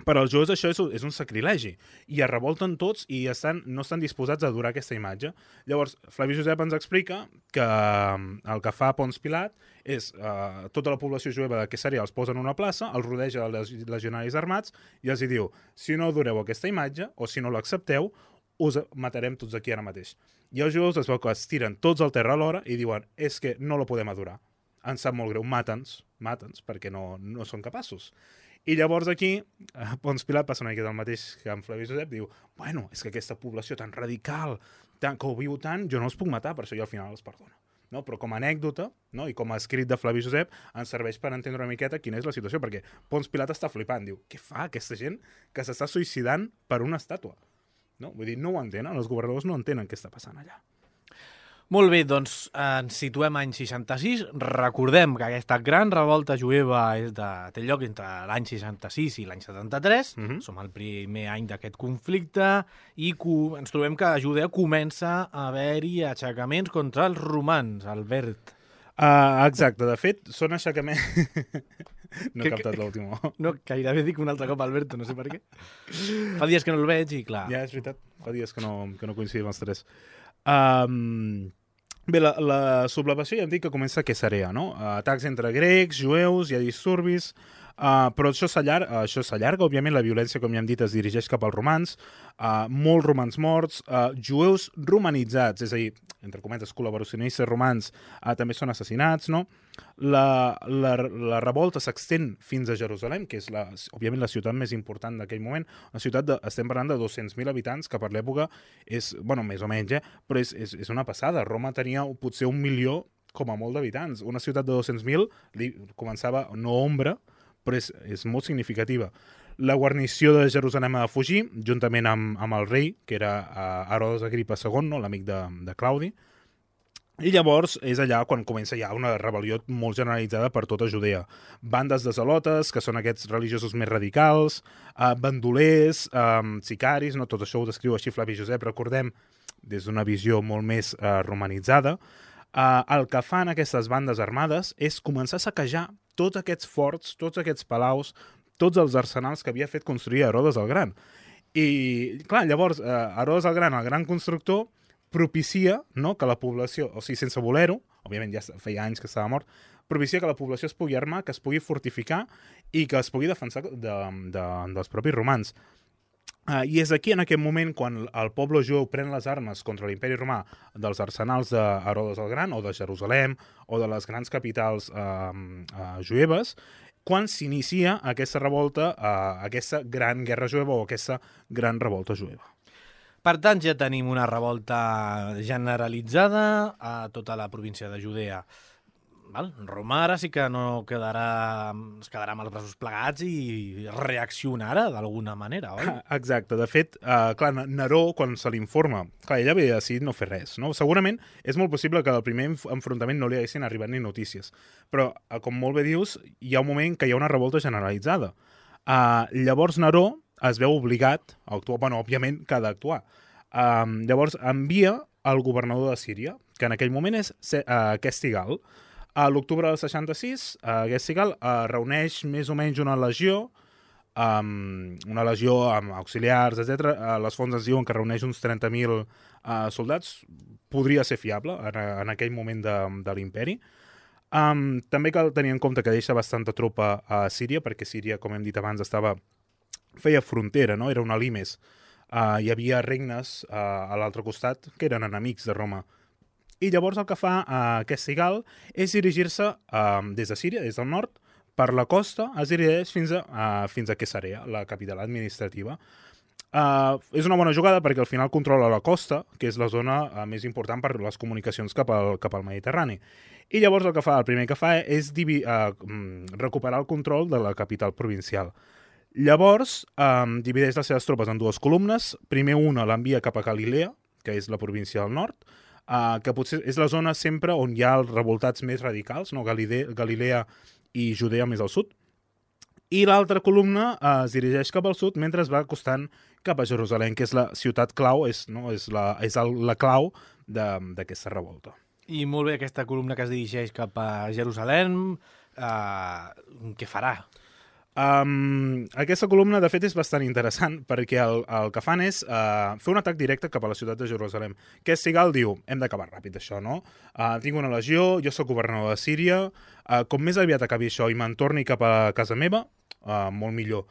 per als jueus això és, és un sacrilegi, i es revolten tots i estan, no estan disposats a adorar aquesta imatge. Llavors, Flavi Josep ens explica que el que fa Pons Pilat és eh, tota la població jueva de Cesarea els posa en una plaça, els rodeja els legionaris armats i els diu, si no adoreu aquesta imatge o si no l'accepteu, us matarem tots aquí ara mateix. I els jueus es veu que es tiren tots al terra alhora i diuen, és que no la podem adorar. Ens sap molt greu, mata'ns, mata'ns, perquè no, no són capaços. I llavors aquí, Pons Pilat passa una mica del mateix que en Flavi Josep, diu, bueno, és que aquesta població tan radical, tan, que ho viu tant, jo no els puc matar, per això jo al final els perdono. No? Però com a anècdota, no? I com a escrit de Flavi Josep, ens serveix per entendre una miqueta quina és la situació, perquè Pons Pilat està flipant, diu, què fa aquesta gent que s'està suïcidant per una estàtua? No? Vull dir, no ho entenen, els governadors no entenen què està passant allà. Molt bé, doncs ens situem any seixanta-sis. Recordem que aquesta gran revolta jueva és de, té lloc entre l'any seixanta-sis i l'any setanta-tres. Mm-hmm. Som al primer any d'aquest conflicte i co- ens trobem que a Judea comença a haver-hi aixecaments contra els romans, Albert. Uh, exacte, de fet, són aixecaments... no he Que- captat l'últim. No, gairebé dic un altre cop Alberto, no sé per què. Fa dies que no el veig i clar... Ja, és veritat, fa dies que no, que no coincidim els tres. Um, bé, la, la sublevació ja hem dit que comença a Cesarea, no? Atacs entre grecs, jueus, hi ha disturbis. Uh, però això s'allarga, uh, això s'allarga, òbviament la violència, com ja hem dit, es dirigeix cap als romans, uh, molts romans morts, uh, jueus romanitzats, és a dir, entre cometes, col·laboracionistes romans uh, també són assassinats, no? La, la, la revolta s'extén fins a Jerusalem, que és, la, òbviament, la ciutat més important d'aquell moment, una ciutat, de, estem parlant de dos-cents mil habitants, que per l'època és, bueno, més o menys, eh? Però és, és, és una passada. Roma tenia potser un milió com a molt d'habitants. Una ciutat de dos-cents mil començava, no ombra, però és, és molt significativa. La guarnició de Jerusalem ha de fugir, juntament amb, amb el rei, que era uh, Herodes Agripa segon, no? L'amic de, de Claudi, i llavors és allà quan comença ja una rebel·lió molt generalitzada per tota Judea. Bandes de zelotes, que són aquests religiosos més radicals, uh, bandolers, um, sicaris, no? Tot això ho descriu així Flavi Josep, recordem, des d'una visió molt més uh, romanitzada. Uh, el que fan aquestes bandes armades és començar a saquejar tots aquests forts, tots aquests palaus, tots els arsenals que havia fet construir Herodes el Gran. I, clar, llavors, uh, Herodes el Gran, el gran constructor, propicia, no, que la població, o sigui, sense voler-ho, òbviament ja feia anys que estava mort, propicia que la població es pugui armar, que es pugui fortificar i que es pugui defensar de, de, dels propis romans. Uh, I és aquí, en aquest moment, quan el poble jueu pren les armes contra l'imperi romà dels arsenals d'Herodes el Gran, o de Jerusalem, o de les grans capitals uh, uh, jueves, quan s'inicia aquesta revolta, uh, aquesta gran guerra jueva o aquesta gran revolta jueva. Per tant, ja tenim una revolta generalitzada a tota la província de Judea. Val? Roma ara sí que no quedarà, es quedarà amb els braços plegats i reaccionarà d'alguna manera, oi? Exacte. De fet, uh, clar, Neró, quan se l'informa, clar, ella havia decidit no fer res, no? Segurament és molt possible que al primer enfrontament no li haguessin arribat ni notícies, però, uh, com molt bé dius, hi ha un moment que hi ha una revolta generalitzada. Uh, llavors Neró es veu obligat a actuar, bueno, òbviament que ha d'actuar. Uh, llavors envia el governador de Síria, que en aquell moment és uh, Questigal. A l'octubre del seixanta-sis, uh, Questigal uh, reuneix més o menys una legió, um, una legió amb auxiliars, etcètera. Uh, les fonts ens diuen que reuneix uns trenta mil uh, soldats. Podria ser fiable en, en aquell moment de, de l'imperi. Um, també cal tenir en compte que deixa bastanta tropa a Síria, perquè Síria, com hem dit abans, estava feia frontera, no? Era una limes. Uh, hi havia regnes uh, a l'altre costat que eren enemics de Roma. I llavors el que fa uh, Questigal és dirigir-se uh, des de Síria, des del nord, per la costa, es dirigeix fins a, uh, fins a Cesarea, la capital administrativa. Uh, és una bona jugada perquè al final controla la costa, que és la zona uh, més important per les comunicacions cap al, cap al Mediterrani. I llavors el que fa, el primer que fa és divi, uh, recuperar el control de la capital provincial. Llavors, um, divideix les seves tropes en dues columnes. Primer una l'envia cap a Galilea, que és la província del nord, uh, que potser és la zona sempre on hi ha els revoltats més radicals, no? Galilea, Galilea i Judea més al sud. I l'altra columna uh, es dirigeix cap al sud mentre es va acostant cap a Jerusalem, que és la ciutat clau, és, no? és, la, és el, la clau d'aquesta revolta. I molt bé, aquesta columna que es dirigeix cap a Jerusalem, uh, què farà? Um, aquesta columna, de fet, és bastant interessant perquè el, el que fan és uh, fer un atac directe cap a la ciutat de Jerusalem. Questigal diu, hem d'acabar ràpid això, no? Uh, tinc una legió, jo sóc governador de Síria, uh, com més aviat acabi això i me'n torni cap a casa meva, uh, molt millor.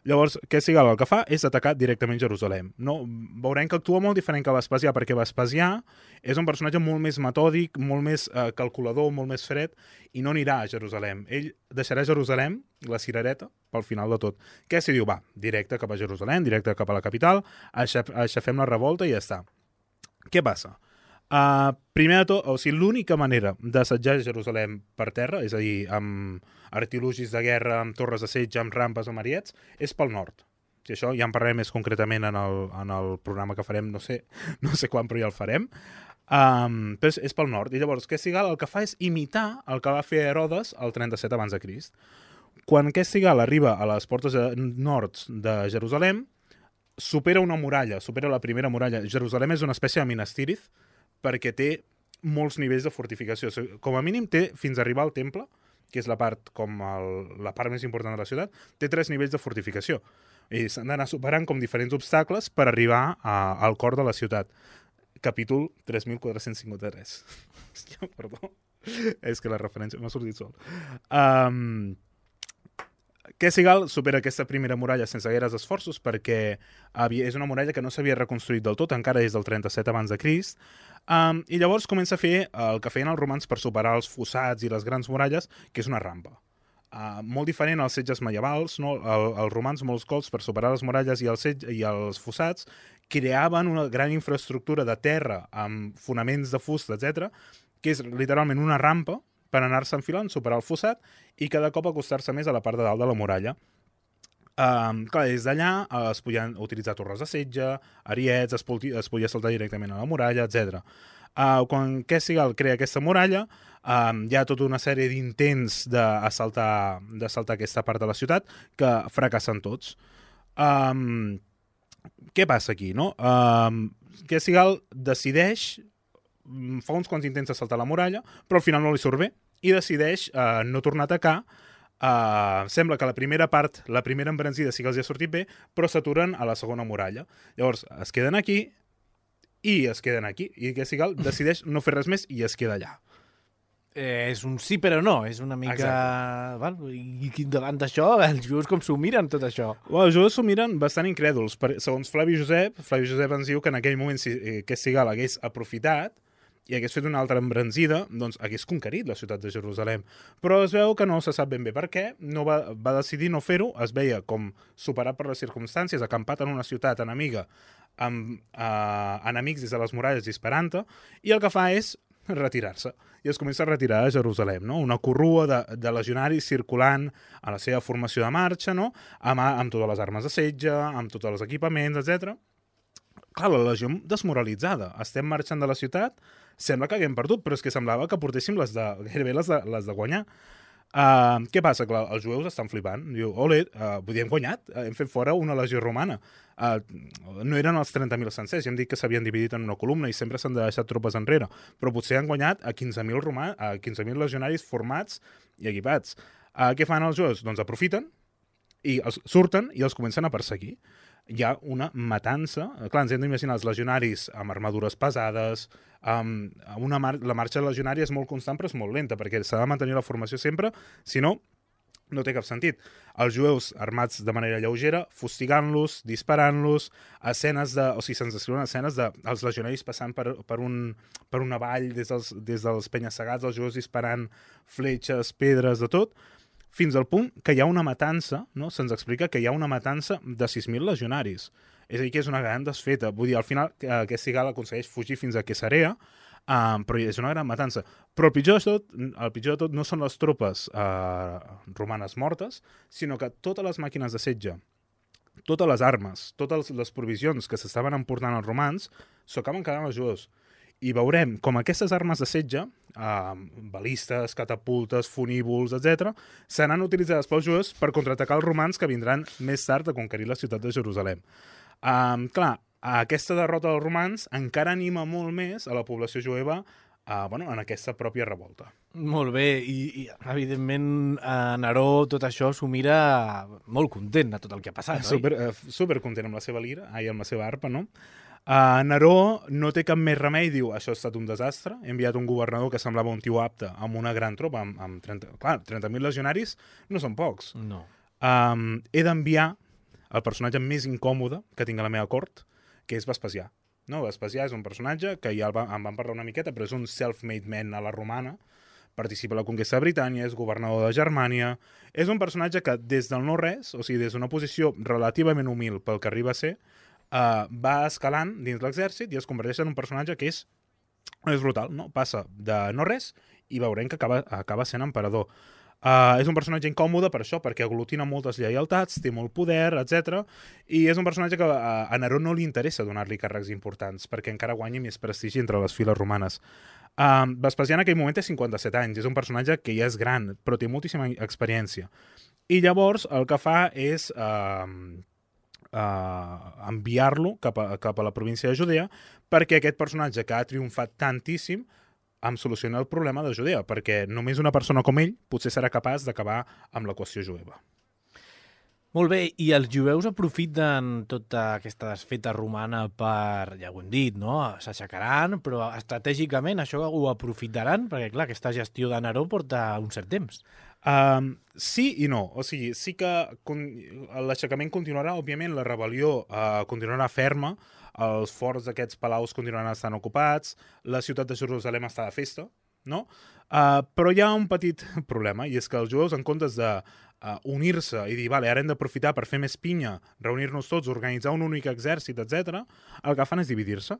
Llavors, Questigal el que fa és atacar directament Jerusalem. No? Veurem que actua molt diferent que Vespasià, perquè Vespasià és un personatge molt més metòdic, molt més eh, calculador, molt més fred, i no anirà a Jerusalem. Ell deixarà Jerusalem, la cirereta, pel final de tot. Què s'hi diu? Va, directe cap a Jerusalem, directe cap a la capital, aixafem la revolta i ja està. Què passa? Uh, primer de tot, o sigui, l'única manera d'assetjar Jerusalem per terra, és a dir, amb artilugis de guerra, amb torres de setge, amb rampes, amb ariets, és pel nord. I això ja en parlarem més concretament en el, en el programa que farem, no sé, no sé quan, però ja el farem. Um, però és, és pel nord. I llavors, Questigal el que fa és imitar el que va fer Herodes el trenta-set abans de Crist. Quan Questigal arriba a les portes nord de Jerusalem, supera una muralla, supera la primera muralla. Jerusalem és una espècie de Minas Tirith, perquè té molts nivells de fortificació. Com a mínim té, fins a arribar al temple, que és la part, com el, la part més important de la ciutat, té tres nivells de fortificació. I s'han d'anar superant com diferents obstacles per arribar a, al cor de la ciutat. Capítol tres mil quatre-cents cinquanta-tres. Hòstia, perdó. És que la referència m'ha sortit sol. Um, Kessigal supera aquesta primera muralla sense gaires esforços perquè havia, és una muralla que no s'havia reconstruït del tot, encara des del trenta-set abans de Crist, um, i llavors comença a fer el que feien els romans per superar els fossats i les grans muralles, que és una rampa. Uh, molt diferent als setges medievals, no? El, els romans molts cops per superar les muralles i els, setge, i els fossats creaven una gran infraestructura de terra amb fonaments de fusta, etcètera, que és literalment una rampa per anar-se enfilant, superar el fossat i cada cop acostar-se més a la part de dalt de la muralla. Um, clar, des d'allà uh, es podien utilitzar torres de setge, ariets, es, poti, es podia saltar directament a la muralla, etcètera. Uh, quan Kessigal crea aquesta muralla, um, hi ha tota una sèrie d'intents d'assaltar d'assaltar aquesta part de la ciutat que fracassen tots. Um, què passa aquí, no? Um, Kessigal decideix, fa uns quants intents d'assaltar la muralla, però al final no li surt bé i decideix uh, no tornar a atacar. Uh, sembla que la primera part, la primera embranzida sí que els ha sortit bé, però s'aturen a la segona muralla. Llavors es queden aquí i es queden aquí, i Kessigal decideix no fer res més i es queda allà. Eh, és un sí però no, és una mica... Val, i davant d'això, els jueus com s'ho miren tot això? Well, els jueus s'ho miren bastant incrèduls. Per, segons Flavi Josep, Flavi Josep ens diu que en aquell moment si eh, Kessigal hagués aprofitat i hagués fet una altra embranzida, doncs hagués conquerit la ciutat de Jerusalem. Però es veu que no se sap ben bé per què, no va, va decidir no fer-ho, es veia com superat per les circumstàncies, acampat en una ciutat enemiga, amb eh, enemics des de les muralles disparant-te, i el que fa és retirar-se. I es comença a retirar a Jerusalem, no? Una corrua de, de legionaris circulant a la seva formació de marxa, no? Amb, amb totes les armes de setge, amb tots els equipaments, etcètera. Clar, la legió desmoralitzada. Estem marxant de la ciutat, sembla que haguem perdut, però és que semblava que portéssim les de, gairebé les de, les de guanyar. Uh, què passa? Clar, els jueus estan flipant. Diu, ole, uh, vull dir, hem guanyat, uh, hem fet fora una legió romana. Uh, no eren els trenta mil sencers, ja hem dit que s'havien dividit en una columna i sempre s'han deixat tropes enrere, però potser han guanyat a quinze mil romà, a quinze mil legionaris formats i equipats. Uh, què fan els jueus? Doncs aprofiten i els surten i els comencen a perseguir. Hi ha una matança. Clar, ens hem d'imaginar els legionaris amb armadures pesades, amb una mar la marxa legionària és molt constant però és molt lenta, perquè s'ha de mantenir la formació sempre, si no, no té cap sentit. Els jueus armats de manera lleugera, fustigant-los, disparant-los, escenes de... O sigui, se'ns descriuen escenes de els legionaris passant per, per, un, per una vall des dels, des dels penya-segats, els jueus disparant fletxes, pedres, de tot, fins al punt que hi ha una matança, no? Se'ns explica que hi ha una matança de sis mil legionaris. És a dir, que és una gran desfeta. Vull dir, al final, eh, Kessigal aconsegueix fugir fins a Cesarea, eh, però és una gran matança. Però el pitjor de tot, el pitjor de tot no són les tropes eh, romanes mortes, sinó que totes les màquines de setge, totes les armes, totes les provisions que s'estaven emportant els romans, s'ho acaben quedant els jueus. I veurem com aquestes armes de setge, eh, balistes, catapultes, funívols, etcètera, seran utilitzades pels jueus per contraatacar els romans que vindran més tard a conquerir la ciutat de Jerusalem. Eh, clar, aquesta derrota dels romans encara anima molt més a la població jueva eh, bueno, en aquesta pròpia revolta. Molt bé, i, i evidentment a Neró tot això s'ho mira molt content de tot el que ha passat, super, oi? Eh, super content amb la seva lira, ai, amb la seva arpa, no? Uh, Neró no té cap més remei, diu, això ha estat un desastre, he enviat un governador que semblava un tio apte amb una gran tropa, amb, amb trenta... Clar, trenta mil legionaris no són pocs. No. Um, he d'enviar el personatge més incòmode que tinc a la meva cort, que és Vespasià. No, Vespasià és un personatge que ja va, en vam parlar una miqueta, però és un self-made man a la romana, participa a la conquesta de Britània, és governador de Germània, és un personatge que des del no-res, o sigui, des d'una posició relativament humil pel que arriba a ser, Uh, va escalant dins l'exèrcit i es converteix en un personatge que és, és brutal, no? Passa de no res i veurem que acaba, acaba sent emperador. Uh, és un personatge incòmode per això, perquè aglutina moltes lleialtats, té molt poder, etcètera. I és un personatge que uh, a Neró no li interessa donar-li càrrecs importants, perquè encara guanyi més prestigi entre les files romanes. Uh, Vespasià en aquell moment té cinquanta-set anys, és un personatge que ja és gran, però té moltíssima experiència. I llavors el que fa és... Uh, Uh, enviar-lo cap, a, cap a la província de Judea perquè aquest personatge que ha triomfat tantíssim em soluciona el problema de Judea, perquè només una persona com ell potser serà capaç d'acabar amb la qüestió jueva. Molt bé, i els jueus aprofiten tota aquesta desfeta romana per, ja ho hem dit, no? S'aixecaran, però estratègicament això ho aprofitaran, perquè clar, aquesta gestió de Neró porta un cert temps. Um, sí i no. O sigui, sí que con... l'aixecament continuarà, òbviament, la rebel·lió uh, continuarà ferma, els forts d'aquests palaus continuaran estant ocupats, la ciutat de Jerusalem està de festa, no? Uh, però hi ha un petit problema, i és que els jueus, en comptes de uh, unir-se i dir, vale, ara hem d'aprofitar per fer més pinya, reunir-nos tots, organitzar un únic exèrcit, etcètera, el que fan és dividir-se.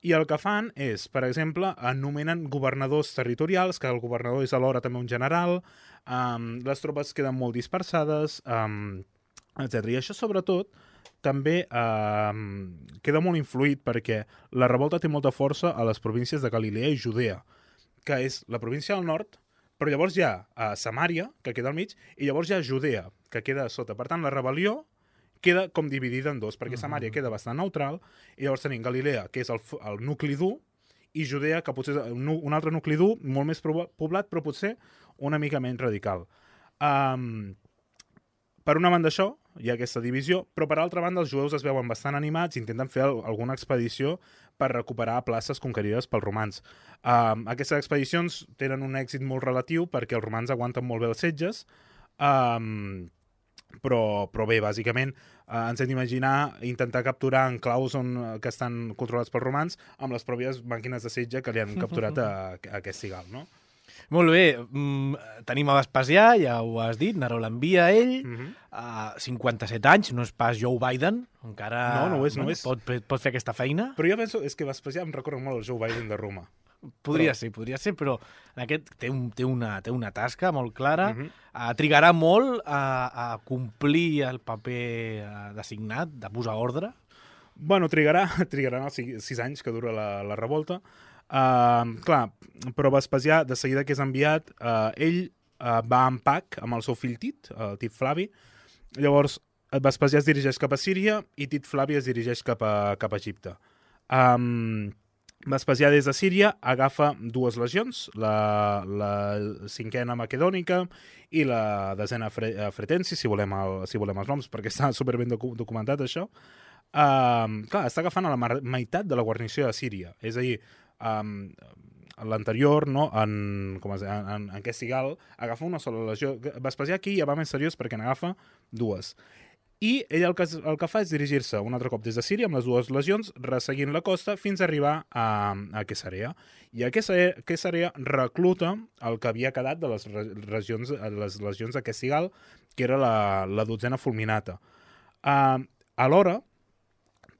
I el que fan és, per exemple, anomenen governadors territorials, que el governador és alhora també un general, um, les tropes queden molt dispersades, um, etcètera. I això, sobretot, també um, queda molt influït perquè la revolta té molta força a les províncies de Galilea i Judea, que és la província del nord, però llavors hi ha uh, Samària, que queda al mig, i llavors hi ha Judea, que queda a sota. Per tant, la rebel·lió queda com dividida en dos, perquè Samària queda bastant neutral, i llavors tenim Galilea, que és el, el nucli dur, i Judea, que potser és un, un altre nucli dur, molt més poblat, però potser una mica menys radical. Um, per una banda això, hi ha aquesta divisió, però per altra banda els jueus es veuen bastant animats i intenten fer alguna expedició per recuperar places conquerides pels romans. Um, aquestes expedicions tenen un èxit molt relatiu perquè els romans aguanten molt bé els setges, um, Però, però bé, bàsicament eh, ens hem d'imaginar intentar capturar enclaus on, que estan controlats pels romans amb les pròpies màquines de setge que li han capturat a, a aquest cigal, no? Molt bé, mm, tenim a Vespasià, ja ho has dit, Neró l'envia a ell, Mhm. a cinquanta-set anys, no és pas Joe Biden, encara No, no ho és, no bueno, ho és. pot, pot fer aquesta feina. Però jo penso, és que Vespasià em recorda molt el Joe Biden de Roma. Podria Però- ser, podria ser, però en aquest té, un, té, una, té una tasca molt clara, Mhm. uh, trigarà molt a, a complir el paper uh, designat, de posar ordre. Bueno, trigarà, trigarà els sis, sis anys que dura la, la revolta. Uh, clar, però Vespasià, de seguida que és enviat, uh, ell uh, va en Pac amb el seu fill Tit, el Tit Flavi. Llavors, Vespasià es dirigeix cap a Síria i Tit Flavi es dirigeix cap a, cap a Egipte. Um, Vespasià des de Síria agafa dues legions, la, la cinquena macedònica i la desena fre, fretensi, si volem, el, si volem els noms, perquè està superben docu documentat això. Um, clar, està agafant a la meitat de la guarnició de Síria. És a dir, um, l'anterior, no, en, com es, en, en, en aquest cigal, agafa una sola legió. Vespasià aquí ja va més seriós perquè n'agafa dues. I ell el que, el que fa és dirigir-se un altre cop des de Síria amb les dues legions, resseguint la costa fins a arribar a, a Cesarea. I a Cesarea recluta el que havia quedat de les, regions, les legions d'aquest cigal, que era la, la dotzena fulminata. Uh, alhora,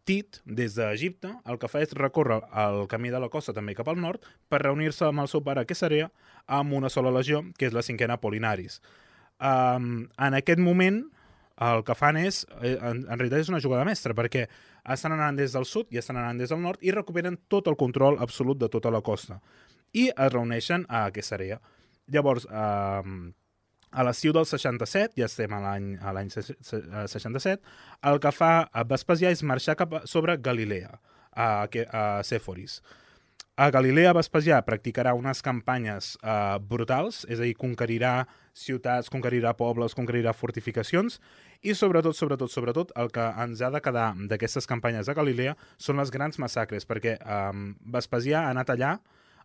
Tit, des d'Egipte, el que fa és recórrer el camí de la costa també cap al nord per reunir-se amb el seu pare a Cesarea amb una sola legió, que és la cinquena Apolinaris. Um, en aquest moment, el que fan és, en, en realitat és una jugada mestra, perquè estan anant des del sud i estan anant des del nord i recuperen tot el control absolut de tota la costa. I es reuneixen a Cesarea. Llavors, eh, a l'estiu del seixanta-set, ja estem a l'any a l'any seixanta-set, el que fa Vespasià és marxar cap a, sobre Galilea, a, a Sèforis. A Galilea, Vespasià practicarà unes campanyes eh, brutals, és a dir, conquerirà ciutats, conquerirà pobles, conquerirà fortificacions, i sobretot, sobretot, sobretot, el que ens ha de quedar d'aquestes campanyes a Galilea són les grans massacres, perquè eh, Vespasià ha anat allà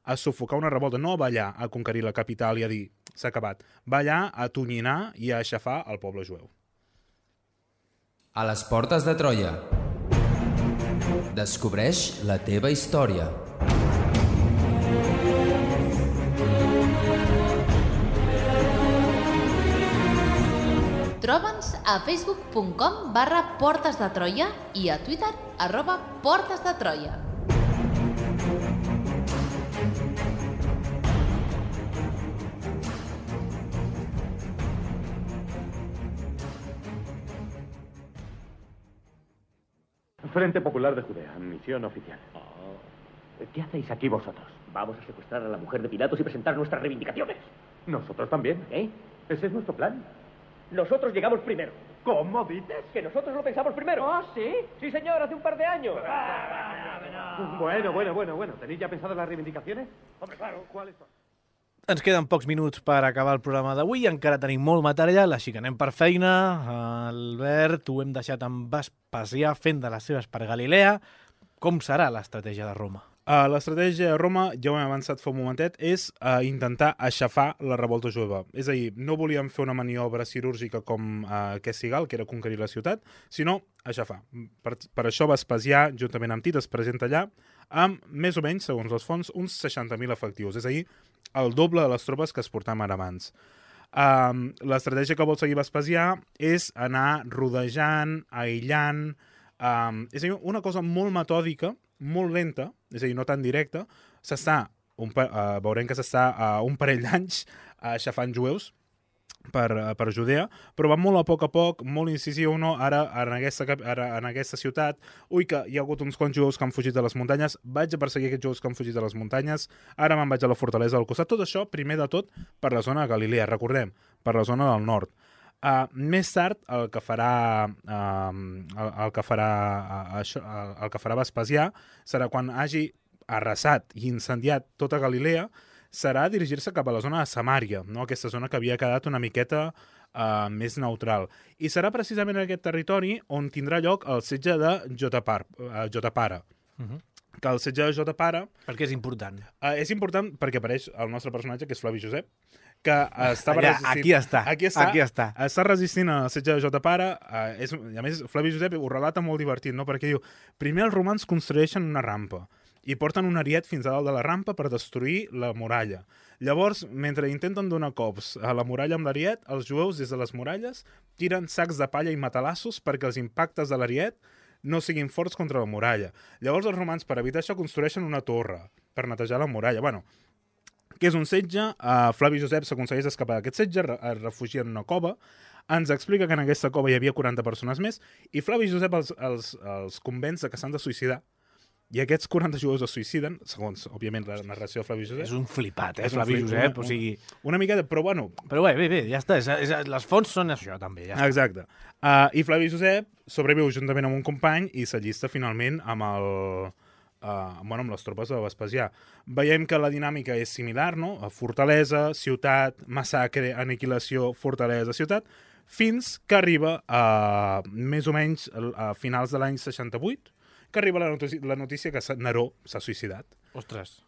a sufocar una revolta, no va allà a conquerir la capital i a dir, s'ha acabat, va allà a tonyinar i a aixafar el poble jueu. A les portes de Troia. Descobreix la teva història. Troba'ns a facebook punt com barra Portes de Troia i a Twitter arroba Portes de Troia. Frente Popular de Judea, misión oficial. ¿Qué hacéis aquí vosotros? Vamos a secuestrar a la mujer de Pilatos y presentar nuestras reivindicaciones. Nosotros también. ¿Eh? Ese es nuestro plan. Nosotros llegamos primero. ¿Cómo dices? Que nosotros lo pensamos primero. ¿Ah, sí? Sí, señor, hace un par de años. Bueno, bueno, bueno, bueno. ¿Tenéis ya pensadas las reivindicaciones? Hombre, claro. ¿Cuáles son? Ens queden pocs minuts per acabar el programa d'avui, encara tenim molt material, així que anem per feina. Albert, ho hem deixat amb Vespasià fent de les seves per Galilea. Com serà l'estratègia de Roma? Uh, L'estratègia de Roma, ja ho hem avançat fa un momentet, és uh, intentar aixafar la revolta jueva. És a dir, no volíem fer una maniobra quirúrgica com uh, Kessigal, que era conquerir la ciutat, sinó aixafar. Per, per això Vespasià, juntament amb Tit, es presenta allà amb, més o menys, segons les fonts, uns seixanta mil efectius. És a dir, el doble de les tropes que es portaven ara abans. Um, L'estratègia que vol seguir Vespasià és anar rodejant, aïllant... Um, és a dir, una cosa molt metòdica, molt lenta, és a dir, no tan directa, s'està, uh, veurem que s'està uh, un parell d'anys uh, aixafant jueus per, uh, per Judea, però va molt a poc a poc, molt incisiu, no? Ara, en aquesta, ara, en aquesta ciutat, ui, que hi ha hagut uns quants jueus que han fugit de les muntanyes, vaig a perseguir aquests jueus que han fugit de les muntanyes, ara me'n vaig a la fortalesa del costat, tot això, primer de tot, per la zona de Galilea, recordem, per la zona del nord. Uh, més tard, el que farà, uh, el, el que farà, uh, això, el, el que farà Vespasià serà quan hagi arrasat i incendiat tota Galilea, serà dirigir-se cap a la zona de Samària, no? Aquesta zona que havia quedat una miqueta uh, més neutral. I serà precisament en aquest territori on tindrà lloc el setge de Jotapar, uh, Jotapara. Uh-huh. Que el setge de Jotapara... Per què és important? Uh, és important perquè apareix el nostre personatge, que és Flavi Josep, que estava Allà, resistint... aquí està, aquí està, aquí està. Està resistint al setge de Jotapara. Uh, és, a més, Flavi Josep ho relata molt divertit, no? Perquè diu, primer els romans construeixen una rampa i porten un ariet fins a dalt de la rampa per destruir la muralla. Llavors, mentre intenten donar cops a la muralla amb l'ariet, els jueus, des de les muralles, tiren sacs de palla i matalassos perquè els impactes de l'ariet no siguin forts contra la muralla. Llavors els romans, per evitar això, construeixen una torre per netejar la muralla. Bueno, que és un setge, uh, Flavi Josep s'aconsegueix escapar d'aquest setge, es refugia en una cova, ens explica que en aquesta cova hi havia quaranta persones més, i Flavi Josep els, els, els convenç que s'han de suïcidar. I aquests quaranta jueus es suïciden, segons, òbviament, la narració de Flavi Josep. És un flipat, eh, és un Flavi flip, Josep, una, o sigui... Una miqueta, però bueno... Però bé, bé, bé, ja està, és, és, les fonts són això, també, ja està. Exacte. Uh, I Flavi Josep sobreviu juntament amb un company i s'allista finalment amb el... Uh, bueno, amb les tropes de Vespasià. Veiem que la dinàmica és similar, no? Fortalesa, ciutat, massacre, aniquilació, fortalesa, ciutat, fins que arriba a més o menys a finals de l'any seixanta-vuit, que arriba la notícia, la notícia que Neró s'ha suïcidat. Ostres.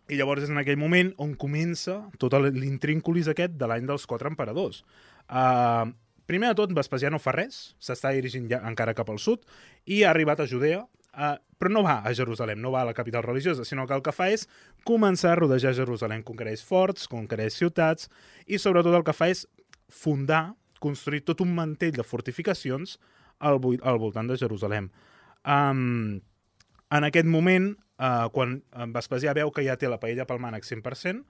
I llavors és en aquell moment on comença tot l'intrínculis aquest de l'any dels quatre emperadors. Uh, primer de tot, Vespasià no fa res, s'està dirigint ja encara cap al sud, i ha arribat a Judea, uh, però no va a Jerusalem, no va a la capital religiosa, sinó que el que fa és començar a rodejar Jerusalem, conquereix forts, conquereix ciutats, i sobretot el que fa és fundar, construir tot un mantell de fortificacions al, al voltant de Jerusalem. Um, en aquest moment, uh, quan Vespasià veu que ja té la paella pel mànec cent per cent,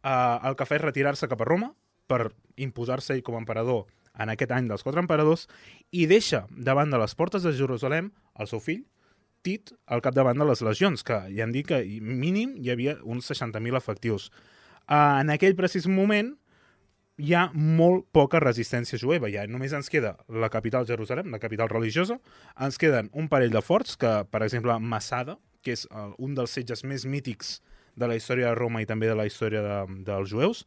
uh, el que fa és retirar-se cap a Roma per imposar-se ell com a emperador en aquest any dels quatre emperadors i deixa davant de les portes de Jerusalem el seu fill, Tit, al capdavant de les legions, que ja han dit que mínim hi havia uns seixanta mil efectius. Uh, en aquell precís moment hi ha molt poca resistència jueva. Ja només ens queda la capital Jerusalem, la capital religiosa, ens queden un parell de forts, que, per exemple, Massada, que és uh, un dels setges més mítics de la història de Roma i també de la història de, dels jueus,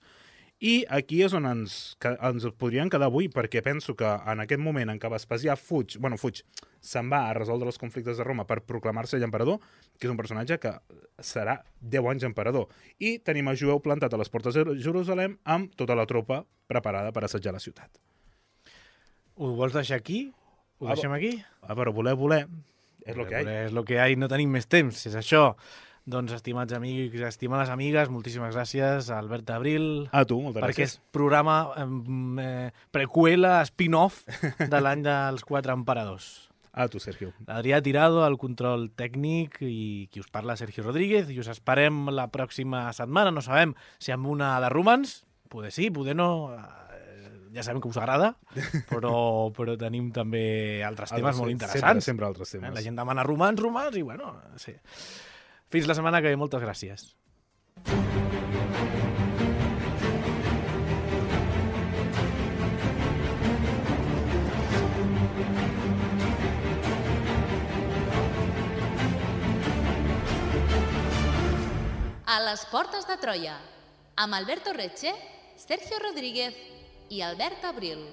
i aquí és on ens, que, ens podrien quedar avui, perquè penso que en aquest moment en què Vespasià fuig, bueno, fuig, se'n va a resoldre els conflictes de Roma per proclamar-se emperador, que és un personatge que serà deu anys emperador. I tenim a Jueu plantat a les portes de Jerusalem amb tota la tropa preparada per assetjar la ciutat. Ho vols deixar aquí? Ho Ah, deixem aquí? Ah, però voler, voler, és el que hi ha. És el que hi ha i no tenim més temps, és això. Doncs, estimats amics, estimades amigues, moltíssimes gràcies a Albert Abril. A tu, moltes per gràcies. aquest programa eh, preqüela, spin-off de l'any dels quatre emperadors. A tu, Sergio. Adrià Tirado, el control tècnic, i qui us parla, Sergio Rodríguez, i us esperem la pròxima setmana. No sabem si amb una de romans, poder sí, poder no, ja sabem que us agrada, però, però tenim també altres temes Altres, molt sempre, interessants. sempre altres temes. La gent demana romans, romans, i bueno, sí. Fins la setmana que ve, moltes gràcies. A les portes de Troia, amb Alberto Reche, Sergio Rodríguez i Albert Abril.